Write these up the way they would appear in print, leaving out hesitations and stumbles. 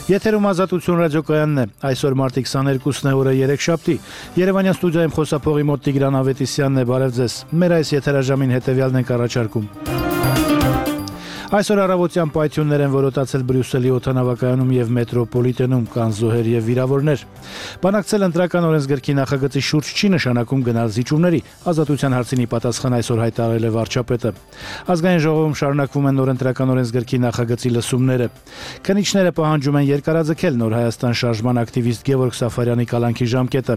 Եթերում Ազատություն ռադիոկայանն է։ Այսօր մարտի 22-ն է, օրը երեքշաբթի։ Երևանյան ստուդիայում խոսափողի մոտ Տիգրան Ավետիսյանն է, բարև ձեզ։ Մեր այս եթերաժամին հետևյալն ենք առաջարկում։ Այսօր առավոտյան պայթյուններ են որոտացել Բրյուսելի օդանավակայանում եւ մետրոպոլիտենում, կան զոհեր եւ վիրավորներ։ Բանակցել ընտրական օրենսգրքի նախագծի շուրջ չի նշանակում գնալ զիջումների, Ազատության հարցին պատասխան այսօր հայտարարել է վարչապետը։ Ազգային ժողովում շարունակվում են նոր ընտրական օրենսգրքի նախագծի լսումները։ Քննիչները պահանջում են երկարաձգել Նոր Հայաստան շարժման ակտիվիստ Գևորգ Սաֆարյանի կալանքի ժամկետը։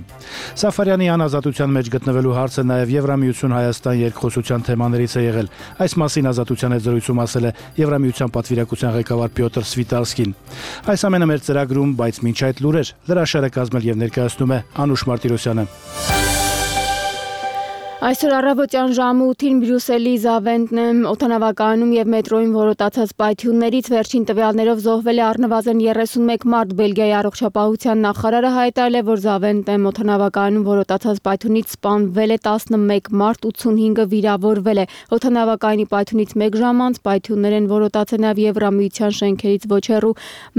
Սաֆարյանի անազատության մեջ գտնվելու հարցը նաեւ Եվրամիություն Հայաստան երկխոսության թեմաներից է եղել։ Այս մասին Ազատության հետ զրույցում ասել է Եվրամիության պատվիրակության ղեկավար Պյոտր Սվիտալսկին։ Այս ամենը մեր ծրագրում, բայց մինչ այդ լուրեր, լրաշարը կազմել եւ ներկայացնում է Անուշ Մարտիրոսյանը։ Այսօր առավոտյան ժամը 8-ին Բրյուսելի Զավենտնեմ օդանավակայանում եւ մետրոյին որոտացած պայթյուններից վերջին տվյալներով զոհվել է առնվազն 31 մարդ։ Բելգիայի առողջապահության նախարարը հայտարարել է, որ Զավենտնեմ օդանավակայանում որոտացած պայթյունից սպանվել է 11 մարդ, 85-ը վիրավորվել է։ Օդանավակայանի պայթյունից 1 ժամ անց պայթյուններ են որոտացել նաեւ Եվրամիության շենքերից ոչ հեռու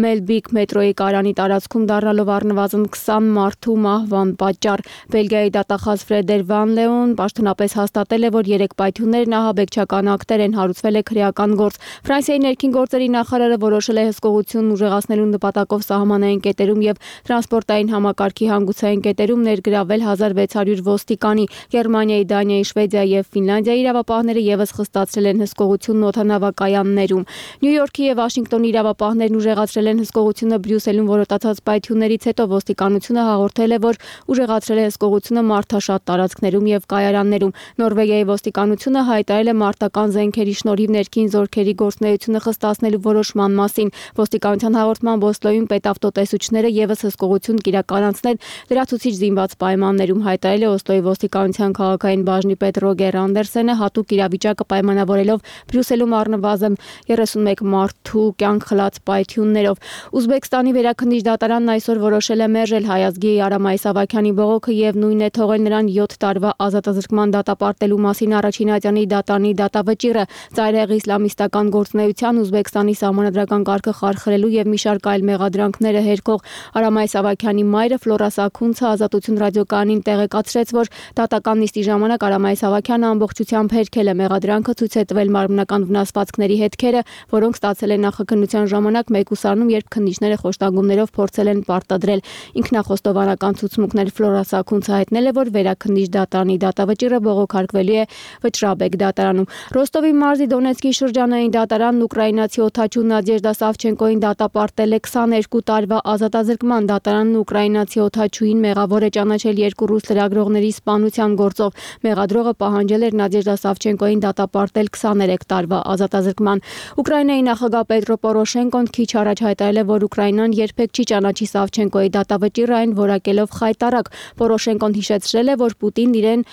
Մելբիկ մետրոյի կայարանի տարածքում, դառնալով առնվազն 20 մարդու մահվան պատճառ։ Բելգիայի դատախազ Ֆրեդեր Վան Լեոն տնապես հաստատել է, որ 3 պայթյուններն ահաբեկչական ակտեր են, հարուցվել է քրեական գործ։ Ֆրանսիայի ներքին գործերի նախարարը որոշել է հսկողությունն ուժեղացնելու նպատակով սահմանային կետերում եւ տրանսպորտային համակարգի հանգուցային կետերում ներգրավել 1600 ոստիկանի։ Գերմանիայի, Դանիայի, Շվեդիայի եւ Ֆինլանդիայի իրավապահները եւս խստացրել են հսկողությունն օդանավակայաններում։ Նյու Յորքի եւ Վաշինգտոնի իրավապահներն ուժեղացրել են հսկողությունը Բրյուսելում որոտացած պայթյուններից հետո։ Ոստիկանությունը հաղորդել է, որ ուժեղացրել է հսկողությունը մարդաշատ տարածքներում եւ կայարաններում։ Նորվեգիայի ոստիկանությունը հայտարարել է մարտական զենքերի շնորհիվ ներքին զորքերի գործունեությունը խստացնելու որոշման մասին։ Ոստիկանության հաղորդմամբ Օսլոյում պետավտոտեսուչները եւս հսկողություն կիրականացնեն լրացուցիչ զինված պայմաններում, հայտարարել է Օսլոյի ոստիկանության քաղաքային բաժնի պետ Ռոգեր Անդերսենը, հատուկ իրավիճակը պայմանավորելով Բրյուսելում առնվազն 31 մարդու կյանք խլած պայթյուններով։ Ուզբեկստանի վերաքննիչ դատարանն այսօր որոշել է մերժել Հայազգի Արամ Այսավակյանի բողոքը եւ նույնն է թողել նրան 7 տարվա ազատազրկման դատապարտելու մասին առաջին ատյանի դատարանի դատավճիռը։ Ծայրահեղ իսլամիստական գործունեության, Ուզբեկստանի սահմանադրական կարգը խարխրելու եւ մի շարք այլ մեղադրանքները հերքող Արամ Այսավակյանի մայրը Ֆլորա Սաքունցը Ազատություն ռադիոկայանին տեղեկացրեց, որ դատական նիստի ժամանակ Արամ Այսավակյանը ամբողջությամբ հերքել է մեղադրանքը, ցույց է տվել մարմնական վնասվածքների հետքերը, որոնք ստացել են նախաքննության ժամանակ մեկուսարանում, երբ քննիչները խոշտանգումներով փորձել են պարտադրել ինքնախոստովանական ցուցմունքներ։ Ֆլորա Սաքունցը հայտնել է, որ վերաքննիչ դատարանի դատավճիռը բողոքարկվելու է Վճռաբեկ դատարանում։ Ռոստովի մարզի Դոնեցկի շրջանային դատարանն ուկրաինացի օդաչու Նադեժդա Սավչենկոին դատապարտել է 22 տարվա ազատազրկման։ Դատարանն ուկրաինացի օդաչուին մեղավոր է ճանաչել 2 ռուս լրագրողների սպանության գործով։ Մեղադրողը պահանջել էր Նադեժդա Սավչենկոին դատապարտել 23 տարվա ազատազրկման։ Ուկրաինայի նախագահ Պետրո Պորոշենկոն քիչ առաջ հայտարարել է, որ Ուկրաինան երբեք չի ճանաչի Սավչենկոյի դատավճիռը, այն որակելով խայտարակ։ Պորոշենկոն հիշեցրել է, որ Պուտինն իրեն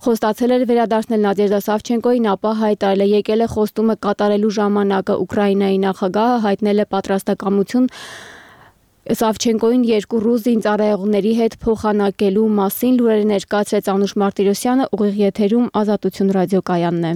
խոստացել էր վերադարձնել Նադեժդա Սավչենկոյին, ապա հայտարարել է եկել է խոստումը կատարելու ժամանակը։ Ուկրաինայի նախագահը հայտնել է պատրաստակամություն Սավչենկոյին 2 ռուս զինծառայողների հետ փոխանակելու մասին։ Լուրերը ներկայացրեց Անուշ Մարտիրոսյանը, ուղիղ եթերում Ազատություն ռադիոկայանն է։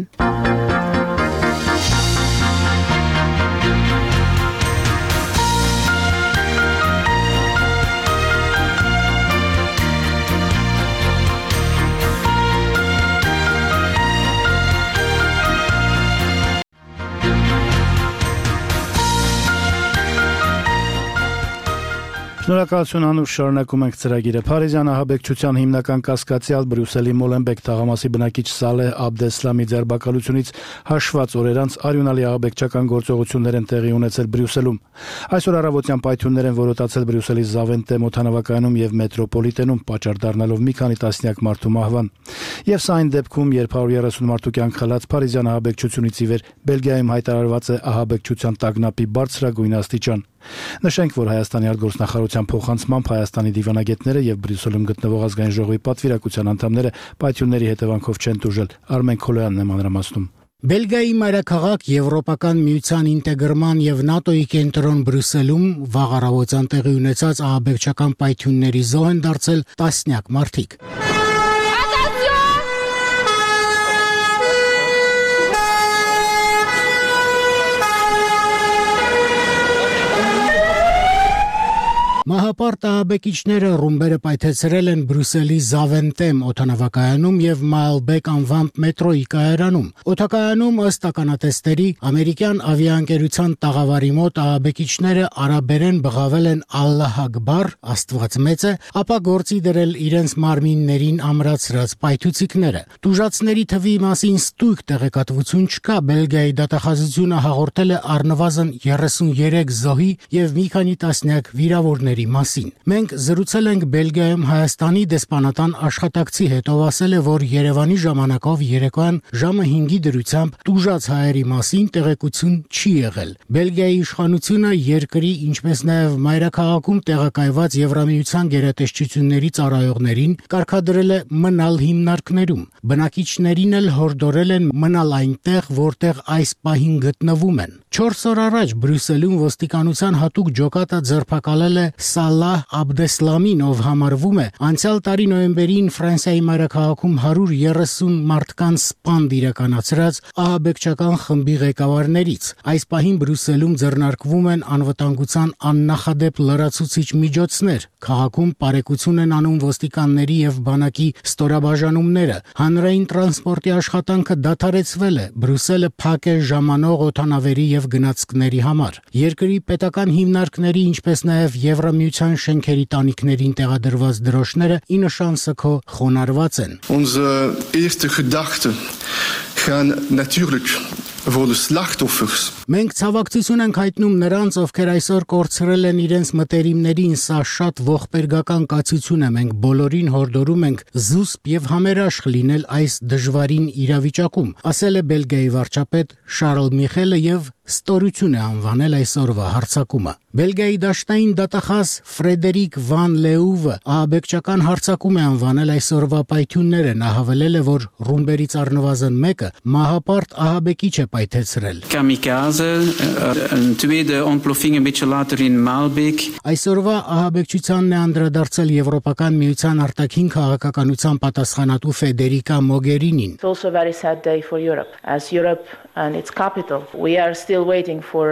Շնորհակալություն Անուշ, շարունակում ենք ծրագիրը։ Փարիզյան ահաբեկչության հիմնական կասկածյալ Բրյուսելի Մոլենբեկ թաղամասի բնակիչ Սալեհ Աբդեսլամի ձերբակալությունից հաշված օրեր անց արյունալի ահաբեկչական գործողություններ են տեղի ունեցել Բրյուսելում։ Այսօր առավոտյան պայթյուններ են որոտացել Բրյուսելի Զավենտեմ օդանավակայանում եւ մետրոպոլիտենում, պատճառ դառնալով մի քանի տասնյակ մարդու մահվան։ Եվ սա այն դեպքում, երբ 130 մարդու կյանք խլած փարիզյան ահաբեկչությունից ի վեր Բելգիայում հայտարարված է ահաբեկչության տագնապի բարձրագույն աստիճան։ Նշենք, որ Հայաստանի արտգործնախարարության փոխանցմամբ Հայաստանի դիվանագետները եւ Բրյուսելում գտնվող ազգային ժողովի պատվիրակության անդամները պայթյունների հետևանքով չեն տուժել։ Արմեն Քոլոյանն է մանրամասնում։ Բելգիայի մայրաքաղաք Եվրոպական միության ինտեգրման եւ ՆԱՏՕ-ի կենտրոն Բրյուսելում վաղ առավոտյան տեղի ունեցած ահաբեկչական պայթյունների զոհ են դարձել տասնյակ մարդիկ։ Մահապարտ ահաբեկիչները ռումբերը պայթեցրել են Բրյուսելի Զավենտեմ օդանավակայանում եւ Մալբեկ անվամբ մետրոյի կայարանում։ Օդակայանում ըստ ականատեսների ամերիկյան ավիաընկերության տաղավարի մոտ ահաբեկիչները արաբերեն բղավել են Ալլահ Ակբար, Աստված մեծ է, ապա գործի դրել իրենց մարմիններին ամրացրած պայթուցիկները։ Տուժածների թվի մասին ստույգ տեղեկատվություն չկա, Բելգիայի դատախազությունը հաղորդել է առնվազն 33 զոհի եւ մի քանի տասնյակ վիրավորների մասին։ Մենք զրուցել ենք Բելգիայում Հայաստանի դեսպանատան աշխատակցի հետ, ով ասել է, որ Երևանի ժամանակով երեկոյան ժամը 5-ի դրությամբ տուժած հայերի մասին տեղեկություն չի եղել։ Բելգիայի իշխանությունը երկրի, ինչպես նաեւ մայրաքաղաքում տեղակայված Եվրամիության գերատեսչությունների ծառայողներին կարգադրել է մնալ հիմնարկներում։ Բնակիչներին էլ հորդորել են մնալ այնտեղ, որտեղ այս պահին գտնվում են։ 4 օր առաջ Բրյուսելում ոստիկանության հատուկ ջոկատը ձերբակալել է Սալահ Աբդեսլամին, ով համարվում է անցյալ տարի նոյեմբերին Ֆրանսիայի մայրաքաղաքում 130 մարդկանց սպանդ իրականացրած ահաբեկչական խմբի ղեկավարներից։ Այս պահին Բրյուսելում ձեռնարկվում են անվտանգության աննախադեպ լրացուցիչ միջոցներ։ Քաղաքում պարեկություն են անում ոստիկանների եւ բանակի ստորաբաժանումները։ Հանրային տրանսպորտի աշխատանքը դադարեցվել է։ Բրյուսելը փակ է ժամանող օդանավերի եւ գնացքների համար։ Երկրի պետական հիմնարկների, ինչպես նաեւ Եվրամիության շենքերի տանիքներին տեղադրված դրոշները ի նշան սգո խոնարհված են։ Onze eerste gedachten gaan natuurlijk voor de slachtoffers. Մենք ցավակցություն ենք հայտնում նրանց, ովքեր այսօր կորցրել են իրենց մտերիմներին, սա շատ ողբերգական կացություն է, մենք բոլորին հորդորում ենք զուսպ եւ համերաշխ լինել այս դժվարին իրավիճակում, ասել է Բելգիայի վարչապետ Շարլ Միխելը եւ ստորություն է անվանել այսօրվա հարձակումը։ Բելգիայի դաշտային դատախազ Ֆրեդերիկ Վան Լեուվը ահաբեկչական հարձակում է անվանել այսօրվա պայթյունները, նա հավելել է, որ ռումբերից առնվազն մեկը մահապարտ ահաբեկիչ է պայթեցրել։ Kamikaze, een tweede ontploffing een beetje later in Maalbeek. Այսօրվա ահաբեկչությանն է անդրադարձել Եվրոպական միության արտաքին քաղաքականության պատասխանատու Ֆեդերիկա Մոգերինին։ It's also a very sad day for Europe. As Europe and its capital, we are still waiting for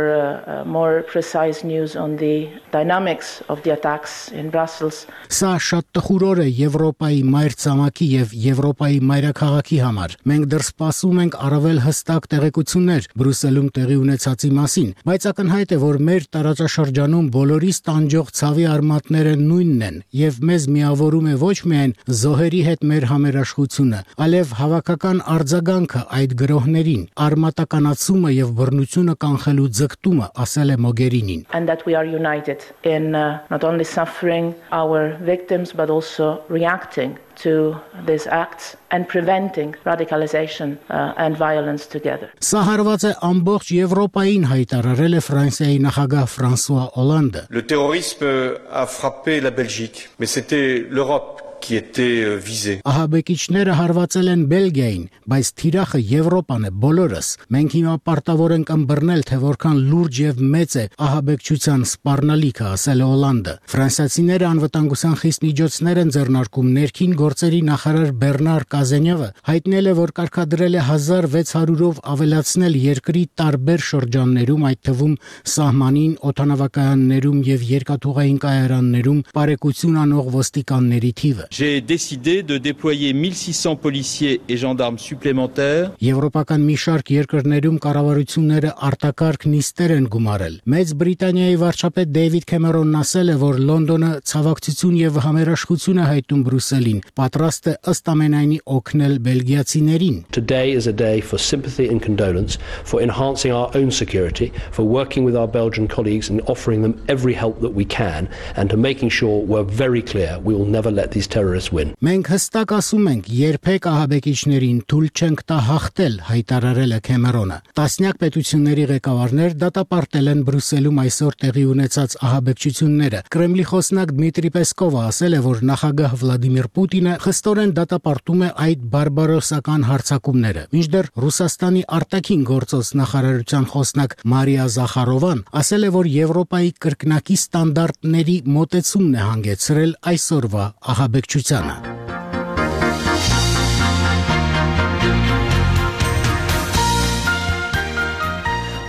more precise news on the dynamics of the attacks in Brussels. Սա շատ տխուր օր է Եվրոպայի մայր ցամաքի եւ Եվրոպայի մայրաքաղաքի համար։ Մենք դեռ սպասում ենք առավել հստակ տեղեկություններ Բրյուսելում տեղի ունեցածի մասին, բայց ակնհայտ է, որ մեր տարածաշրջանում բոլորիս տանջող ցավի արմատները նույնն են եւ մեզ միավորում է ոչ միայն զոհերի հետ մեր համերաշխությունը, այլև հավաքական արձագանքը այդ գրոհներին, արմատականացումը եւ բռնությունը կանխելու ձգտումը, ասել է Մոգերինին։ And that we are united in not only suffering our victims but also reacting to these acts and preventing radicalization and violence together. Սա հարված է ամբողջ Եվրոպային, հայտարարել է Ֆրանսիայի նախագահ Ֆրանսուଆ Օլանդը։ Le terrorisme a frappé la Belgique, mais c'était l'Europe qui était visée. Ահաբեկիչները հարվածել են Բելգիային, բայց թիրախը Եվրոպան է, բոլորս։ Մենք հիմա պարտավոր ենք ըմբռնել, թե որքան լուրջ եւ մեծ է ահաբեկչության սպառնալիքը, ասել է Օլանդը։ Ֆրանսիացիները անվտանգության խիստ միջոցներ են ձեռնարկում։ Ներքին գործերի նախարար Բեռնար Կազենյովը հայտնել է, որ կարգադրել է 1600-ով ավելացնել երկրի տարբեր շրջաններում, այդ թվում սահմանին, օդանավակայաններում եւ երկաթուղային կայարաններում պարեկություն անող ոստիկանների թիվը։ J'ai décidé de déployer 1600 policiers et gendarmes supplémentaires. Եվրոպական մի շարք երկրներում կառավարությունները արտակարգ նիստեր են գումարել։ Մեծ Բրիտանիայի վարչապետ Դեյվիդ Քեմերոնն ասել է, որ Լոնդոնը ցավակցություն եւ համերաշխություն է հայտնում Բրյուսելին, պատրաստ է ըստ ամենայնի օգնել բելգիացիներին։ Today is a day for sympathy and condolence, for enhancing our own security, for working with our Belgian colleagues and offering them every help that we can, and to making sure we're very clear we will never let these terrorists win. Մենք հստակ ասում ենք, երբեք ահաբեկիչներին թույլ չենք տա հաղթել, հայտարարել է Քեմերոնը։ Տասնյակ պետությունների ղեկավարներ դատապարտել են Բրյուսելում այսօր տեղի ունեցած ահաբեկչությունները։ Կրեմլի խոսնակ Դմիտրի Պեսկովը ասել է, որ նախագահ Վլադիմիր Պուտինը խստորեն դատապարտում է այդ բարբարոսական հարձակումները։ Մինչդեռ Ռուսաստանի արտաքին գործոս նախարարության խոսնակ Մարիա Զախարովան ասել է, որ Եվրոպայի կրկնակի ստանդարտների մոտեցումն է հանգեցրել այսօրվա ահաբեկչությանը։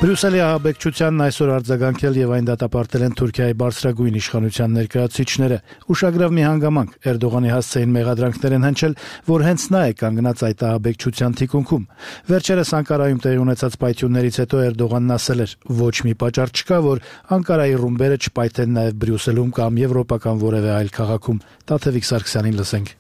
Բրյուսելի ահաբեկչությանն այսօր արձագանքել եւ այն դատապարտել են Թուրքիայի բարձրագույն իշխանության ներկայացուցիչները։ Ուշագրավ մի հանգամանք Էրդողանի հասցեին մեղադրանքներ են հնչել, որ հենց նա է կանգնած այդ ահաբեկչության թիկունքում։ Վերջերս Անկարայում տեղի ունեցած պայթյուններից հետո Էրդողանն ասել էր. ոչ մի պատճառ չկա, որ Անկարայի ռումբերը չպայթեն նաեւ Բրյուսելում կամ եվրոպական որևէ այլ քաղաքում։ Տաթևիկ Սարգսյանին լսենք։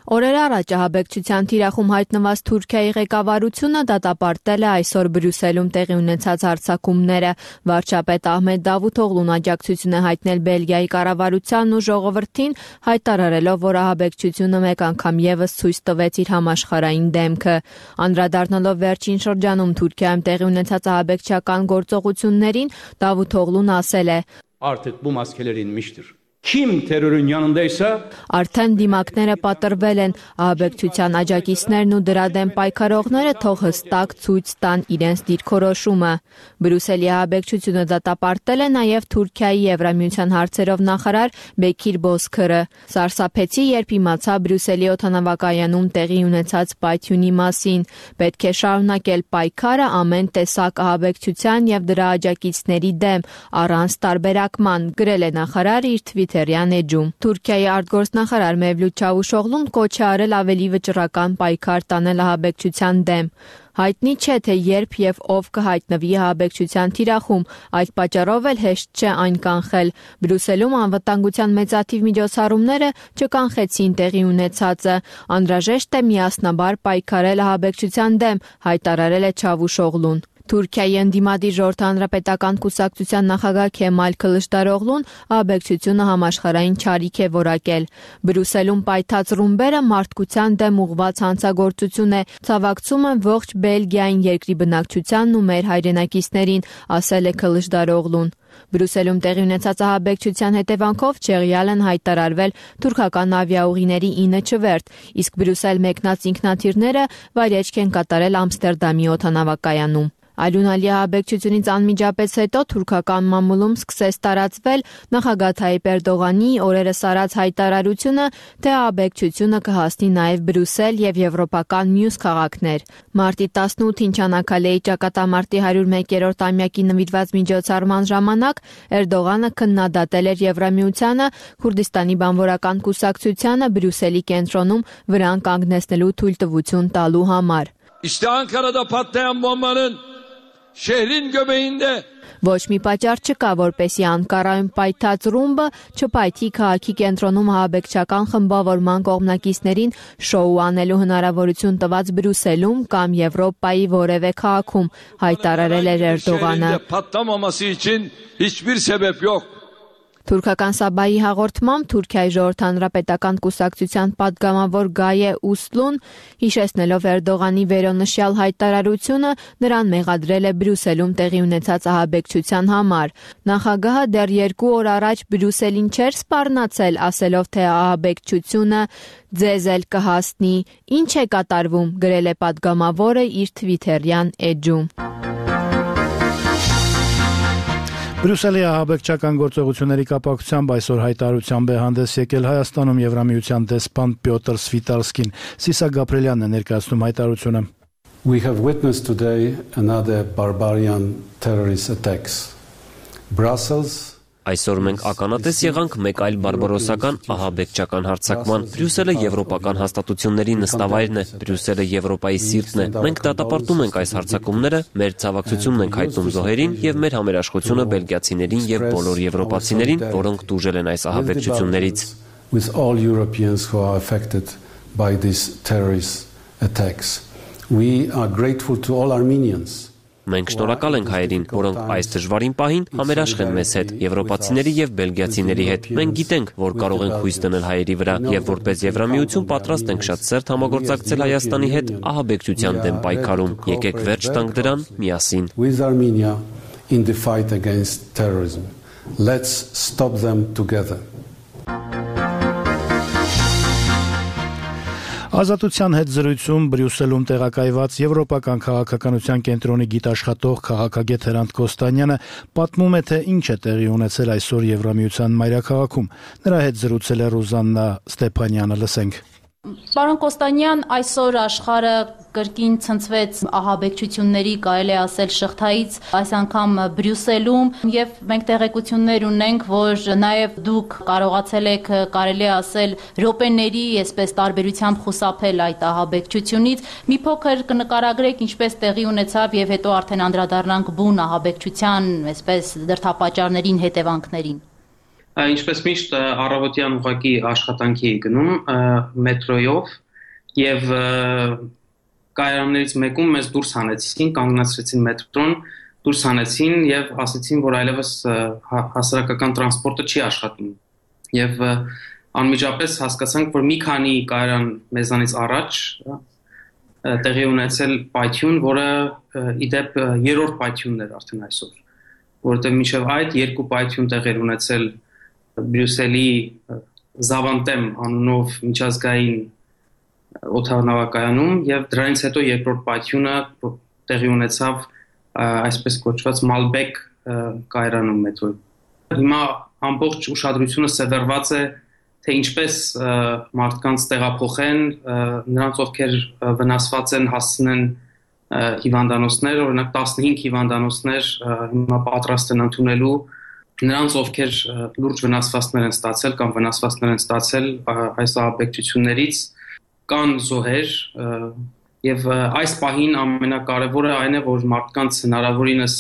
Օրեր առաջ ահաբեկչության թիրախում հայտնված Թուրքիայի ղեկավարությունը դատապարտել է այսօր Բրյուսելում տեղի ունեցած հարձակումները։ Վարչապետ Ահմեդ Դավութօղլուն աջակցություն է հայտնել Բելգիայի կառավարությանն ու ժողովրդին, հայտարարելով, որ ահաբեկչությունը մեկ անգամ եւս ցույց տվեց իր համաշխարհային դեմքը։ Անդրադառնալով վերջին շրջանում Թուրքիայում տեղի ունեցած ահաբեկչական գործողություններին, Դավութօղլուն ասել է. Artık bu maskelerin inmiştir. Kim terörün yanındaysa Արդեն դիմակները պատրվել են, ահաբեկչության աջակիցներն ու դրա դեմ պայքարողները թող հստակ ցույց տան իրենց դիրքորոշումը։ Բրյուսելի ահաբեկչությունը դատապարտել է նաև Թուրքիայի Եվրամիության հարցերով նախարար Բեկիր Բոզքըրը։ Սարսափեցի, երբ իմացա Բրյուսելի օդանավակայանում տեղի ունեցած պայթյունի մասին։ Պետք է շարունակել պայքարը ամեն տեսակ ահաբեկչության եւ դրա աջակիցների դեմ, առանց տարբերակման, գրել է նախարարը իր Թվիթերյան էջում։ Թուրքիայի արտգործնախարար Մևլութ Չավուշօղլուն կոչ է արել ավելի վճռական պայքար տանել ահաբեկչության դեմ։ Հայտնի չէ, թե երբ եւ ով կհայտնվի ահաբեկչության թիրախում, այդ պատճառով էլ հեշտ չէ այն կանխել։ Բրյուսելում անվտանգության մեծաթիվ միջոցառումները չկանխեցին տեղի ունեցածը։ Անհրաժեշտ է միասնաբար պայքարել ահաբեկչության դեմ, հայտարարել է Չավուշօղլուն։ Թուրքիայի ընդդիմադիր ժողովրդի հանրապետական կուսակցության նախագահ Քեմալ Քլիշդարօղլուն ահաբեկչությունը համաշխարհային չարիք է որակել։ Բրյուսելում պայթած ռումբերը մարդկության դեմ ուղղված հանցագործություն է, ցավակցում են ողջ Բելգիային, երկրի բնակչությանն ու մեր հայրենակիցներին, ասել է Քլիշդարօղլուն։ Բրյուսելում տեղի ունեցած ահաբեկչության հետևանքով Չեղյալ են հայտարարվել թուրքական ավիաուղիների 9 չվերթ, իսկ Բրյուսել մեկնած ինքնաթիռները վայրէջք են կատարել Ամստերդամի օդանավակայանում։ Արյունալի ահաբեկչությունից անմիջապես հետո թուրքական մամուլում սկսեց տարածվել նախագահ Թայիպ Էրդողանի օրերս արած հայտարարությունը, թե ահաբեկչությունը կհասնի նաև Բրյուսել եւ եվրոպական մյուս քաղաքներ։ Մարտի 18-ին Չանաքալեի ճակատամարտի 101-րդ ամյակի նվիրված միջոցառման ժամանակ Էրդողանը քննադատել էր Եվրամիությանը Քուրդիստանի բանվորական կուսակցությանը Բրյուսելի կենտրոնում վրան կանգնեցնելու թույլտվություն տալու համար։ İşte Ankara'da patlayan bombanın şehrin göbeğinde Ոչ մի պատճառ չկա, որպեսի Անկարայում պայթած ռումբը չպայթի քաղաքի կենտրոնում ահաբեկչական խմբավորման կողմնակիցներին շոու անելու հնարավորություն տված Բրյուսելում կամ Եվրոպայի որևէ քաղաքում, հայտարարել էր Էրդողանը։ Patlamaması için hiçbir sebep yok. Թուրքական Սաբայի հաղորդմամբ Թուրքիայի ժողովրդի հանրապետական կուսակցության պատգամավոր Գայե Ուսլուն, հիշեցնելով Էրդողանի վերոնշյալ հայտարարությունը, նրան մեղադրել է Բրյուսելում տեղի ունեցած ահաբեկչության համար։ Նախագահը դեռ 2 օր առաջ Բրյուսելին չէր սպառնացել, ասելով, թե ահաբեկչությունը ձեզ էլ կհասնի։ Ինչ է կատարվում, գրել է պատգամավորը իր Թվիթերյան էջում։ Բրյուսելի ահաբեկչական գործողությունների կապակցությամբ այսօր հայտարարությամբ է հանդես եկել Հայաստանում Եվրամիության դեսպան Պյոտր Սվիտալսկին։ Սիսա Գաբրելյանն է ներկայացնում հայտարարությունը։ We have witnessed today another barbarian terrorist attacks. Brussels Այսօր մենք ականատես եղանք մեկ այլ բարբարոսական ահաբեկչական հարձակման։ Բրյուսելը եվրոպական հաստատությունների նստավայրն է, Բրյուսելը Եվրոպայի սիրտն է։ Մենք դատապարտում ենք այս հարձակումները, մեր ցավակցությունն ենք հայտնում զոհերին եւ մեր համերաշխությունը բելգիացիներին եւ բոլոր եվրոպացիներին, որոնք տուժել են այս ահաբեկչություններից։ With all Europeans who are affected by these terrorist attacks. We are grateful to all Armenians. Մենք շնորհակալ ենք հայերին, որոնք այս դժվարին պահին համերաշխ են մեզ հետ, եվրոպացիների եւ բելգիացիների հետ։ Մենք գիտենք, որ կարող ենք հույս դնել հայերի վրա եւ որպես Եվրամիություն պատրաստ ենք շատ սերտ համագործակցել Հայաստանի հետ ահաբեկչության դեմ պայքարում։ Եկեք վերջ տանք դրան միասին։ With Armenia in the fight against terrorism. Let's stop them together. Ազատության հետ զրույցում Բրյուսելում տեղակայված Եվրոպական քաղաքականության կենտրոնի գիտաշխատող քաղաքագետ Հրանտ Կոստանյանը պատմում է, թե ինչ է տեղի ունեցել այսօր Եվրամիության մայրաքաղաքում։ Նրա հետ զրուցել է Ռուզաննա Ստեփանյանը, լսենք։ Պարոն Կոստանյան, այսօր աշխարհը կրկին ցնցվեց ահաբեկչությունների, կարելի ասել շղթայից, այս անգամ Բրյուսելում, եւ մենք տեղեկություններ ունենք, որ նաեւ դուք կարողացել եք, կարելի ասել, րոպեների, այսպես տարբերությամբ խուսափել այդ ահաբեկչությունից։ Մի փոքր կնկարագրեք ինչպես տեղի ունեցավ եւ հետո արդեն անդրադառնանք բուն ահաբեկչության, այսպես դրդապատճառներին, հետևանքներին։ Ինչպես միշտ առավոտյան ուղղակի աշխատանքի էի գնում մետրոյով եւ կայարաններից մեկում մեզ դուրս հանեցին, կանգնացրեցին մետրոն, դուրս հանեցին եւ ասացին, որ այլևս հասարակական տրանսպորտը չի աշխատում։ Եվ անմիջապես հասկացանք, որ մի քանի կայարան մեզանից առաջ տեղի ունեցել պայթյուն, որը իդեպ երրորդ պայթյունն էր արդեն այսօր, որովհետեւ մինչեւ այդ երկու պայթյուն տեղեր ունեցել Բրյուսելի Զավանտեմ անունով միջազգային օդանավակայանում եւ դրանից հետո երկրորդ պայթյունը տեղի ունեցավ այսպես կոչված Մալբեկ կայարանում մետրոյում։ Հիմա ամբողջ ուշադրությունը սևեռված է թե ինչպես մարդկանց տեղափոխեն, նրանց ովքեր վնասված են հասցնեն հիվանդանոցներ, օրինակ 15 հիվանդանոցներ հիմա պատրաստ են ընդունելու նրանց ովքեր լուրջ վնասվածքներ են ստացել կամ վնասվածքներ են ստացել այս ահաբեկչություններից կան զոհեր եւ այս պահին ամենակարևորը այն է որ մարդկանց հնարավորինս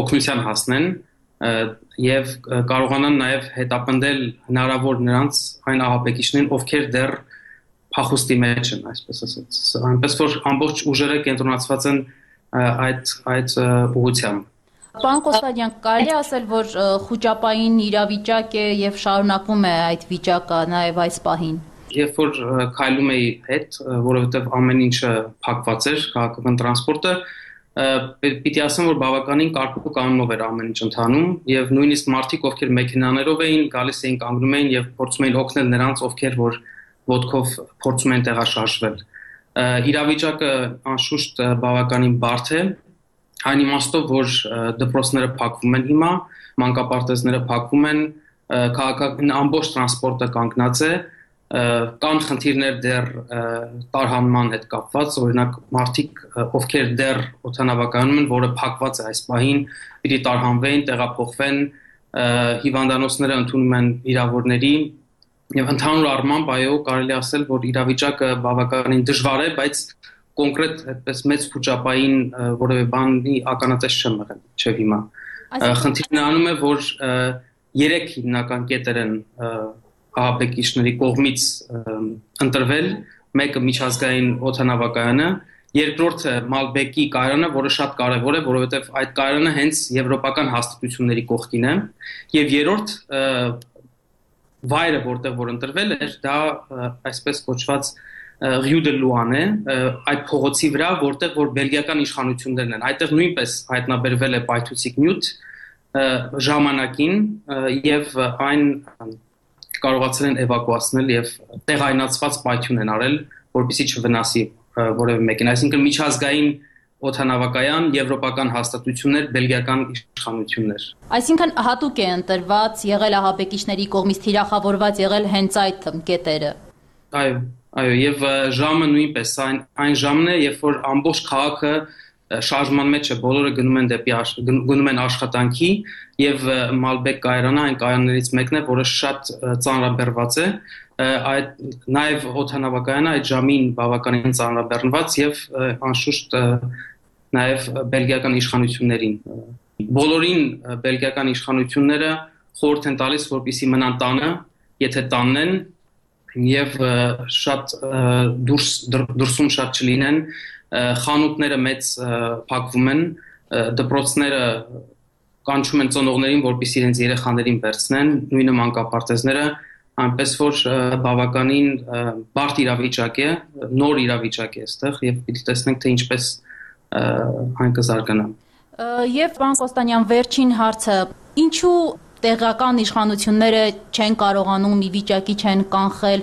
օգնության հասնեն եւ կարողանան նաեւ հետապնդել հնարավոր նրանց այն ահաբեկիչներին ովքեր դեռ փախուստի մեջ են այսպես ասած այնպես որ ամբողջ ուժերը կենտրոնացված են այդ ուղղությամբ Պարոն Կոստանյան, կարելի ասել, որ խուճապային իրավիճակ է եւ շարունակվում է այդ վիճակը նաեւ այս պահին։ Երբ որ քայլում էի հետ, որովհետեւ ամեն ինչը փակված էր, քաղաքական տրանսպորտը, պիտի ասեմ, որ բավականին կարգու կանոնով էր ամեն ինչ ընթանում եւ նույնիսկ մարդիկ, ովքեր մեքենաներով էին, գալիս էին կանգնում էին եւ փորձում էին օգնել նրանց, ովքեր որ ոտքով փորձում են տեղաշարժվել։ Իրավիճակը անշուշտ բավականին բարդ է Այն իմաստով, որ դպրոցները փակվում են հիմա, մանկապարտեզները փակվում են, քաղաքական ամբողջ տրանսպորտը կանգնած է, կան խնդիրներ դեռ տարհանման հետ կապված, օրինակ մարդիկ, ովքեր դեռ օդանավակայանում են, որը փակված է այս պահին, պիտի տարհանվեն, տեղափոխվեն, հիվանդանոցները ընդունում են վիրավորների, եւ ընդհանուր առմամբ այո, կարելի ասել, որ իրավիճակը բավականին դժվար է, բայց կոնկրետ այդպես մեծ խոճապային որևէ բանի ականատես չեմ եղել չէ հիմա խնդիրն անում է որ 3 հիմնական կետեր են ահաբեկիչների կողմից ընտրվել մեկը միջազգային օդանավակայանը երկրորդը Մալբեկի կայարանը որը շատ կարևոր է որովհետև այդ կայարանը հենց եվրոպական հաստատությունների կողքին է եւ երրորդ վայրը որտեղ որ ընտրվել էր դա այսպես կոչված Rue de Louane այդ փողոցի վրա որտեղ որ բելգիական իշխանություններն են այդտեղ նույնպես հայտնաբերվել է պայթուցիկ նյութ ժամանակին եւ այն կարողացել են էվակուացնել եւ տեղայնացված պայթյուն են արել որպեսզի չվնասի որևէ մեկին այսինքն միջազգային օդանավակայան եվրոպական հաստատություններ բելգիական իշխանություններ Այսինքն հատուկ է ընտրված եղել ահաբեկիչների կողմից թիրախավորված եղել հենց այդ կետերը Այո, եւ ժամը նույնպես այն ժամն է, երբ որ ամբողջ քաղաքը շարժման մեջ է, բոլորը գնում են աշխատանքի եւ Մալբեկ կայարանը այն կայարաններից մեկն է, որը շատ ծանրաբեռված է, նաեւ օդանավակայանը այդ ժամին բավականին ծանրաբեռնված եւ անշուշտ նաեւ բելգիական իշխանություններին։ Բոլորին բելգիական իշխանությունները խորհուրդ են տալիս, որպեսզի մնան տանը, եթե տանն են եւ շատ դուրսում շատ չլինեն խանութները մեծ փակվում են դպրոցները կանչում են ծնողներին որպեսզի իրենց երեխաներին վերցնեն նույնը մանկապարտեզները այնպես որ բավականին բարդ իրավիճակ է նոր իրավիճակ է այստեղ եւ պիտի տեսնենք թե ինչպես այն կզարգանա Եվ պարոն Կոստանյան վերջին հարցը ինչու տեղական իշխանությունները չեն կարողանում ի վիճակի չեն կանխել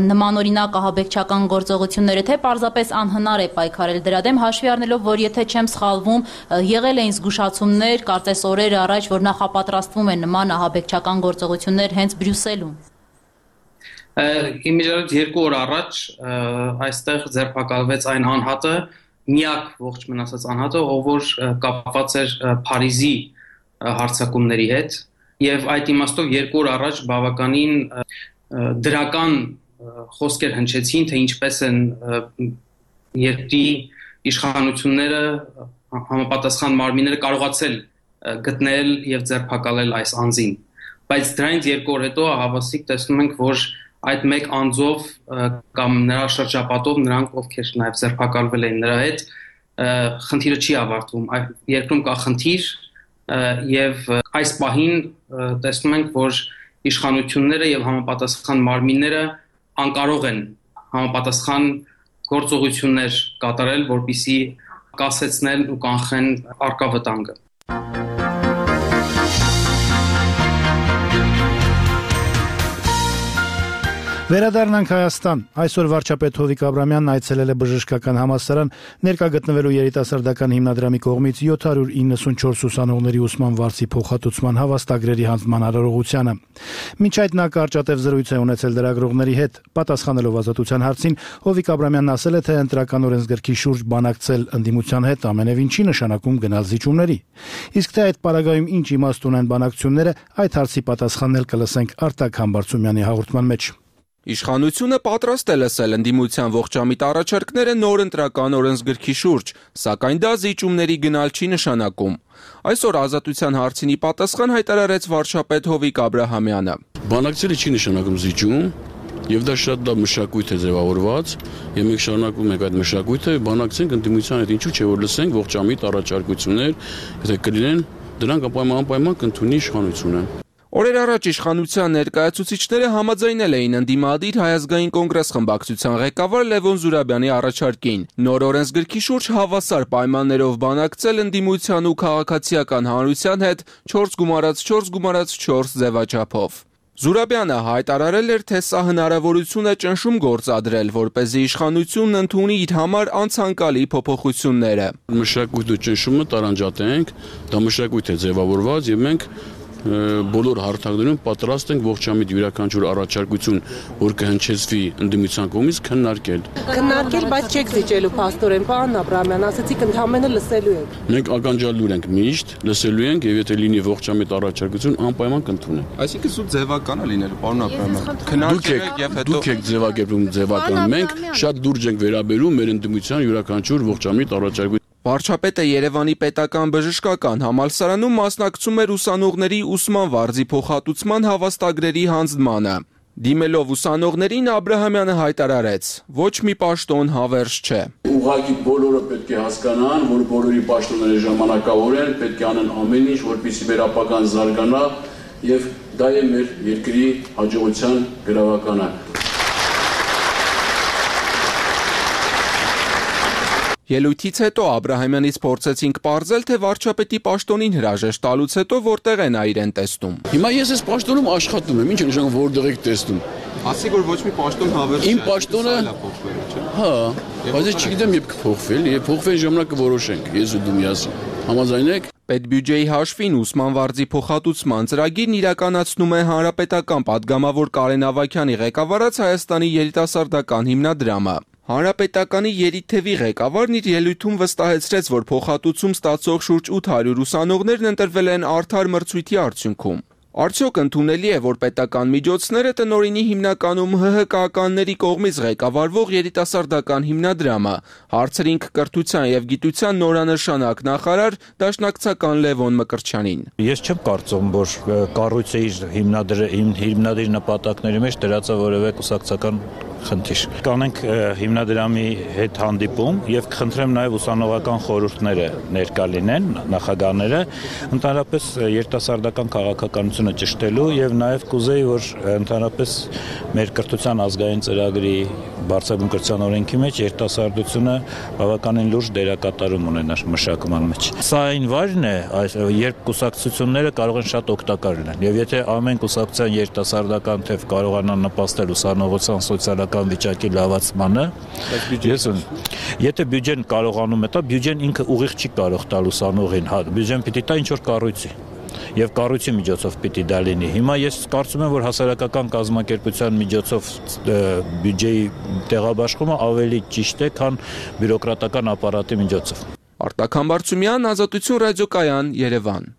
նմանօրինակ ահաբեկչական գործողությունները, թե պարզապես անհնար է պայքարել դրա դեմ, հաշվի առնելով, որ եթե չեմ սխալվում, եղել էին զգուշացումներ, կարծես օրեր առաջ, որ նախապատրաստվում են նման ահաբեկչական գործողություններ հենց Բրյուսելում։ Իմիջիայլոց 2 օր առաջ այստեղ ձերբակալվեց այն անհատը, միակ ողջ մնացած անհատը, ով որ կապված էր Փարիզի հարձակումների հետ, եւ այդ իմաստով 2 օր առաջ բավականին դրական խոսքեր հնչեցին, թե ինչպես են երկրի իշխանությունները համապատասխան մարմինները կարողացել գտնել եւ ձերբակալել այս անձին։ Բայց դրանից 2 օր հետո հավասիկ տեսնում ենք, որ այդ մեկ անձով կամ նրա շրջապատով նրանք, ովքեր նաեւ ձերբակալվել են նրա հետ, խնդիրը չի ավարտվում։ Երկրում կա խնդիր եւ այս պահին տեսնում ենք, որ իշխանությունները եւ համապատասխան մարմինները անկարող են համապատասխան գործողություններ կատարել, որպեսզի կասեցնեն ու կանխեն առկա վտանգը։ Վերադառնանք Հայաստան։ Այսօր վարչապետ Հովիկ Աբրամյանն այցելել է Բժշկական համալսարան, ներկա գտնվելու երիտասարդական հիմնադրամի կողմից 794 ուսանողների ուսման վարձի փոխհատուցման հավաստագրերի հանձնման արարողությանը։ Մինչ այդ նա կարճատև զրույց է ունեցել լրագրողների հետ, պատասխանելով ազատության հարցին, Հովիկ Աբրամյանն ասել է, թե ընտրական օրենսգրքի շուրջ բանակցել ընդդիմության հետ ամենևին չի նշանակում գնալ զիջումների։ Իսկ թե այդ պարագայում ինչ իմաստ ունեն բանակցությունները, այդ հարցի պատասխանն էլ կլսենք Արտակ Համբարձումյանի հաղորդման մեջ։ Իշխանությունը պատրաստ է լսել ընդդիմության ողջամիտ առաջարկները նոր ընտրական օրենսգրքի շուրջ, սակայն դա զիջումների գնալ չի նշանակում։ Այսօր ազատության հարցինի պատասխան հայտարարեց վարչապետ Հովիկ Աբրահամյանը։ Բանակցելը չի նշանակում զիջում, եւ դա շատ լավ մշակույթ է ձևավորված, եւ մենք շարունակում ենք այդ մշակույթը, բանակցենք ընդդիմության հետ, ինչու՞ չէ որ լսենք ողջամիտ առաջարկություններ, եթե կլինեն, դրանք անպայման կընդունի իշխանությունը։ Օրեր առաջ իշխանության ներկայացուցիչները համաձայնել էին ընդդիմադիր Հայ ազգային կոնգրես խմբակցության ղեկավար Լևոն Զուրաբյանի առաջարկին։ Նոր օրենսգրքի շուրջ հավասար պայմաններով բանակցել ընդդիմության ու քաղաքացիական հանրության հետ 4+4+4 ձևաչափով։ Զուրաբյանը հայտարարել էր, թե սա հնարավորություն է ճնշում գործադրել, որպեսզի իշխանությունն ընդունի իր համար անցանկալի փոփոխությունները։ Մշակույթը ճնշումը տարանջատենք, դա մշակույթ է ձևավորված եւ մենք բոլոր հարթակներում պատրաստ ենք ողջամիտ յուրաքանչյուր առաջարկություն, որ կհնչեցվի ընդդիմության կողմից քննարկել, բայց չեք զիջելու փաստորեն, պարոն Աբրահամյան, ասացիք ընդհանրապես լսելու եք։ Մենք ականջալուր ենք միշտ, լսելու ենք եւ եթե լինի ողջամիտ առաջարկություն, անպայման կընդունենք։ Այսինքն սուտ ձևական է լինելու, պարոն Աբրահամյան։ Քննարկեք եւ հետո դուք եք ձևակերպում ձևական, մենք շատ լուրջ ենք վերաբերում մեր ընդդիմության յուրաքանչյուր ողջամիտ առաջարկություն։ Վարչապետը Երևանի պետական բժշկական համալսարանում մասնակցում էր ուսանողների ուսման վարձի փոխհատուցման հավաստագրերի հանձնմանը։ Դիմելով ուսանողներին Աբրահամյանը հայտարարեց. ոչ մի պաշտոն հավերժ չէ։ Ուղղակի բոլորը պետք է հասկանան, որ բոլորի պաշտոնները ժամանակավոր են, պետք է անեն ամեն ինչ, որպեսզի մեր ապագան զարգանա եւ դա է մեր երկրի հաջողության գրավականը։ Ելույթից հետո Աբրահամյանից փորձեցինք պարզել, թե վարչապետի պաշտոնին հրաժեշտ տալուց հետո որտեղ է նա իրեն տեսնում։ Հիմա ես այս պաշտոնում աշխատում եմ, ինչ է նշանակում որտեղ եք տեսնում։ Ասի որ ոչ մի պաշտոն հավերժ չէ։ Իմ պաշտոնը հա, բայց ես չգիտեմ երբ կփոխվել, եւ փոխվեն ժամանակ կորոշենք, ես ու դու միասին։ Համաձայնեք։ Պետբյուջեի հաշվին ուսման վարձի փոխհատուցման ծրագիրն իրականացնում է Հանրապետական падգամավոր Կարեն Ավագյանի ղեկավարած Հայաստանի երիտասարդական հիմնադրամը։ Հանրապետականի երիթևի ղեկավարն իր ելույթում վստահեցրեց, որ փոխհատուցում ստացող շուրջ 800 ուսանողներն ընտրվել են արդար մրցույթի արդյունքում։ Արդյոք ընդունելի է, որ պետական միջոցները տնօրինի հիմնականում ՀՀԿ-ականների կողմից ղեկավարվող երիտասարդական հիմնադրամը, հարցրինք կրթության եւ գիտության նորանշանակ նախարար դաշնակցական Լևոն Մկրտչյանին։ Ես չեմ կարծում, որ կառույցը իր հիմնադրի նպատակների մեջ դրած է որևէ կուսակցական խնդիր։ Կանենք հիմնադրամի հետ հանդիպում եւ կխնդրեմ նաեւ ուսանողական խորհուրդները ներկա լինեն, նախագահները, ընդհանրապես երիտասարդական քաղաքականությունը ճշտելու եւ նաեւ կուզեի, որ ընդհանրապես մեր կրթության ազգային ծրագրի բարձրագույն կրթության օրենքի մեջ երիտասարդությունը բավականին լուրջ դերակատարում ունենա մշակման մեջ։ Սա այն վայրն է, երբ կուսակցությունները կարող են շատ օգտակար լինեն եւ եթե ամեն կուսակցության երիտասարդական թեւ կարողանա նպաստել ուսանողության սոցիալական վիճակի լավացմանը, եթե բյուջեն կարողանում է տա, բյուջեն ինքը ուղիղ չի կարող տալ ուսանողին, հա, բյուջեն պիտի տա ինչ որ կառույցի։ եւ կառույցի միջոցով պիտի դա լինի։ Հիմա ես կարծում եմ, որ հասարակական կազմակերպության միջոցով բյուջեի տեղաբաշխումը ավելի ճիշտ է, քան բյուրոկրատական ապարատի միջոցով։ Արտակ Համբարձումյան, Ազատություն ռադիոկայան, Երևան։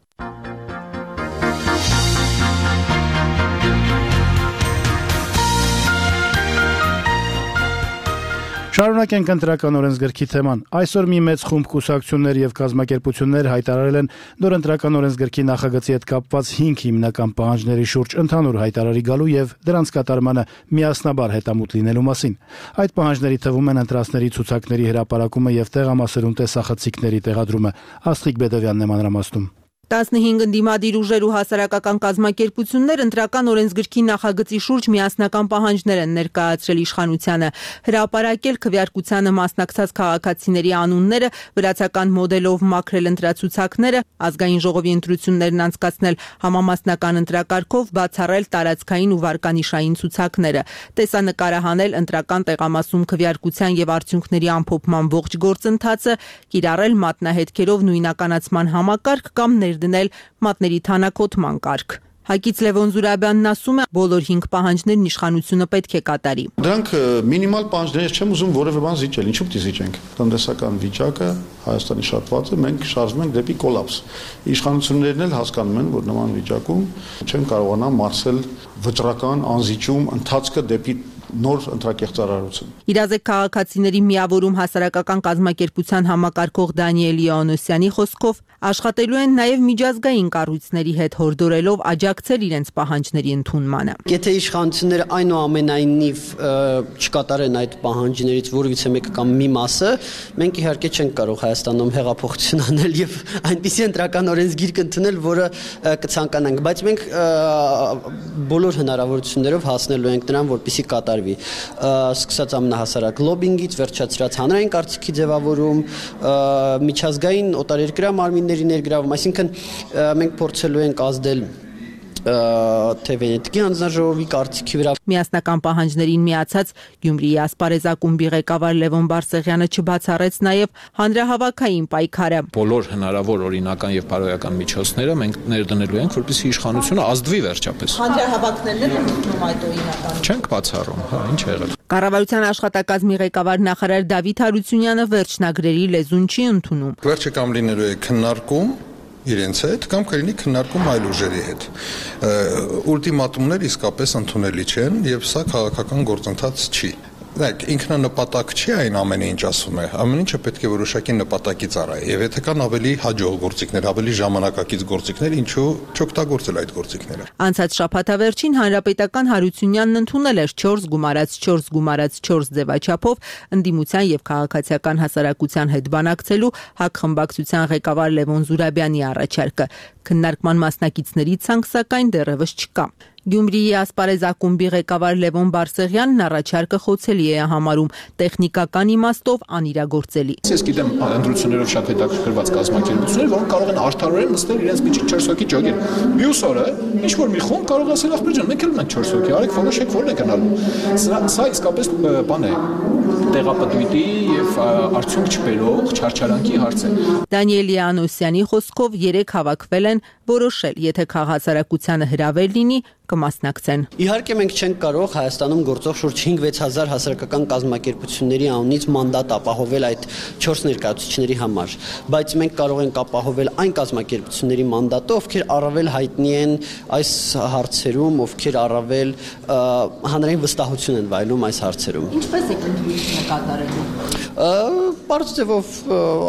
Շարունակենք ընտրական օրենսգրքի թեման։ Այսօր մի մեծ խումբ կուսակցություններ եւ կազմակերպություններ հայտարարել են նոր ընտրական օրենսգրքի նախագծի հետ կապված 5 հիմնական պահանջների շուրջ ընդհանուր հայտարարի գալու եւ դրանց կատարմանը միասնաբար հետամուտ լինելու մասին։ Այդ պահանջների թվում են ընտրածների ցուցակների հրապարակումը եւ տեղամասերում տեսախցիկների տեղադրումը։ Աստղիկ Բեդովյանն է մանրամասնում։ 15 ընդդիմադիր ուժեր ու հասարակական կազմակերպություններ ընտրական օրենսգրքի նախագծի շուրջ միասնական պահանջներ են ներկայացրել իշխանությանը, հրապարակել քվեարկությանը մասնակցած քաղաքացիների անունները, վրացական մոդելով մաքրել ընտրացուցակները, ազգային ժողովի ընտրություններն անցկացնել համամասնական ընտրակարգով, բացառել տարածքային ու վարկանիշային ցուցակները, տեսանկարահանել ընտրական տեղամասում քվեարկության եւ արդյունքների ամփոփման ողջ գործընթացը, կիրառել մատնահետքերով նույնականացման համակարգ կամ դնել մատների թանաքոտման կարգ։ Հակից Լևոն Զուրաբյանն ասում է, բոլոր 5 պահանջներն իշխանությունը պետք է կատարի։ Դրանք մինիմալ պահանջներ չեմ ուզում որևէ բան զիջել, ինչու՞ պիտի զիջենք։ Տնտեսական վիճակը Հայաստանի շատ վատ է, մենք շարժվում ենք դեպի կոլապս։ Իշխանություններն էլ հասկանում են, որ նման վիճակում չեն կարողանա մարսել վճռական անզիջում ընթացքը դեպի նոր ընտրակեղծարարություն։ Իրազեկ քաղաքացիների միավորում հասարակական կազմակերպության համակարգող Դանիել Յոաննոսյանի խոսքով աշխատելու են նաև միջազգային կառույցների հետ հորդորելով աջակցել իրենց պահանջների ընդունմանը։ Եթե իշխանությունները այնուամենայնիվ չկատարեն այդ պահանջներից որևիցե մեկը կամ մի մասը, մենք իհարկե չենք կարող Հայաստանում հեղափոխություն անել եւ այնպիսի ընտրական օրենսգիր ընդունել, որը կցանկանանք, բայց մենք բոլոր հնարավորություններով հասնելու ենք նրան, որպեսզի կատարվի։ Սկսած ամենահասարակ լոբինգից, վերջացրած հանրային կարծիքի ձևավորում, միջազգային օտարերկրյա մարմինների ներգրավում, այսինքն մենք փորձելու ենք ազդել թե Վենետիկի հանձնաժողովի կարծիքի վրա։ Միասնական պահանջներին միացած Գյումրիի ասպարեզակումբի ղեկավար Լևոն Բարսեղյանը չբացառեց նաև հանրահավաքային պայքարը։ Բոլոր հնարավոր օրինական եւ բարոյական միջոցները մենք ներդնելու ենք, որպեսզի իշխանությունը ազդվի վերջապես։ Հանրահավաքներն են ընդունում այդ օրինական։ Չենք բացառում, հա, ինչ է եղել։ Կառավարության աշխատակազմի ղեկավար նախարար Դավիթ Հարությունյանը վերջնագրերի լեզուն չի ընդունում։ Վերջը կամ լինելու է քննարկում իրենց հետ կամ կլինի քննարկում այլ ուժերի հետ։ Ուլտիմատումներ իսկապես ընդունելի չեն եւ սա քաղաքական գործընթաց չի։ Ինքնանպատակ չի այն ամենը, ինչ ասում է։ Ամեն ինչը պետք է որոշակի նպատակի ծառայի։ Եվ եթե կան ավելի հաջող գործիքներ, ավելի ժամանակակից գործիքներ, ինչու չօգտագործել այդ գործիքները։ Անցած շաբաթավերջին հանրապետական Հարությունյանն ընդունել էր 4 գումարած 4 ձևաչափով ընդդիմության եւ քաղաքացիական հասարակության հետ բանակցելու ՀԱԿ խմբակցության ղեկավար Լևոն Զուրաբյանի առաջարկը։ Քննարկման մասնակիցների ցանկ սակայն դեռևս չկա։ Գյումրիի ասպարեզակումբի ղեկավար Լևոն Բարսեղյանն առաջարկը խոցելի է համարում, տեխնիկական իմաստով անիրագործելի։ Ես գիտեմ ընտրություններով շատ հետաքրքրված կազմակերպություններ, որոնք կարող են արդարորեն նստել իրենց միջի 4 հոգի ջոգեր։ Մյուս օրը ինչ որ մի խումբ կարող ասել ախպեր ջան, մենք էլ ունենք 4 հոգի, արեք որոշեք որն է գնալու։ Սա իսկապես բան է, տեղապտույտի եւ արդյունք չբերող չարչարանքի հարց է։ Դանիել Յոաննոսյանի խոսքով 3 հավաքվել են որոշել, եթե քաղաքացիակցությանը հրավեր լինի, կմասնակցեն։ Իհարկե մենք չենք կարող Հայաստանում գործող շուրջ 5-6000 հասարակական կազմակերպությունների անունից մանդատ ապահովել այդ 4 ներկայացուցիչների համար, բայց մենք կարող ենք ապահովել այն կազմակերպությունների մանդատը, ովքեր առավել հայտնի են այս հարցերում, ովքեր առավել հանրային վստահություն են վայելում այս հարցերում։ Ինչպես եք ընդդիմությունը կատարելու։ Բարձ ձևով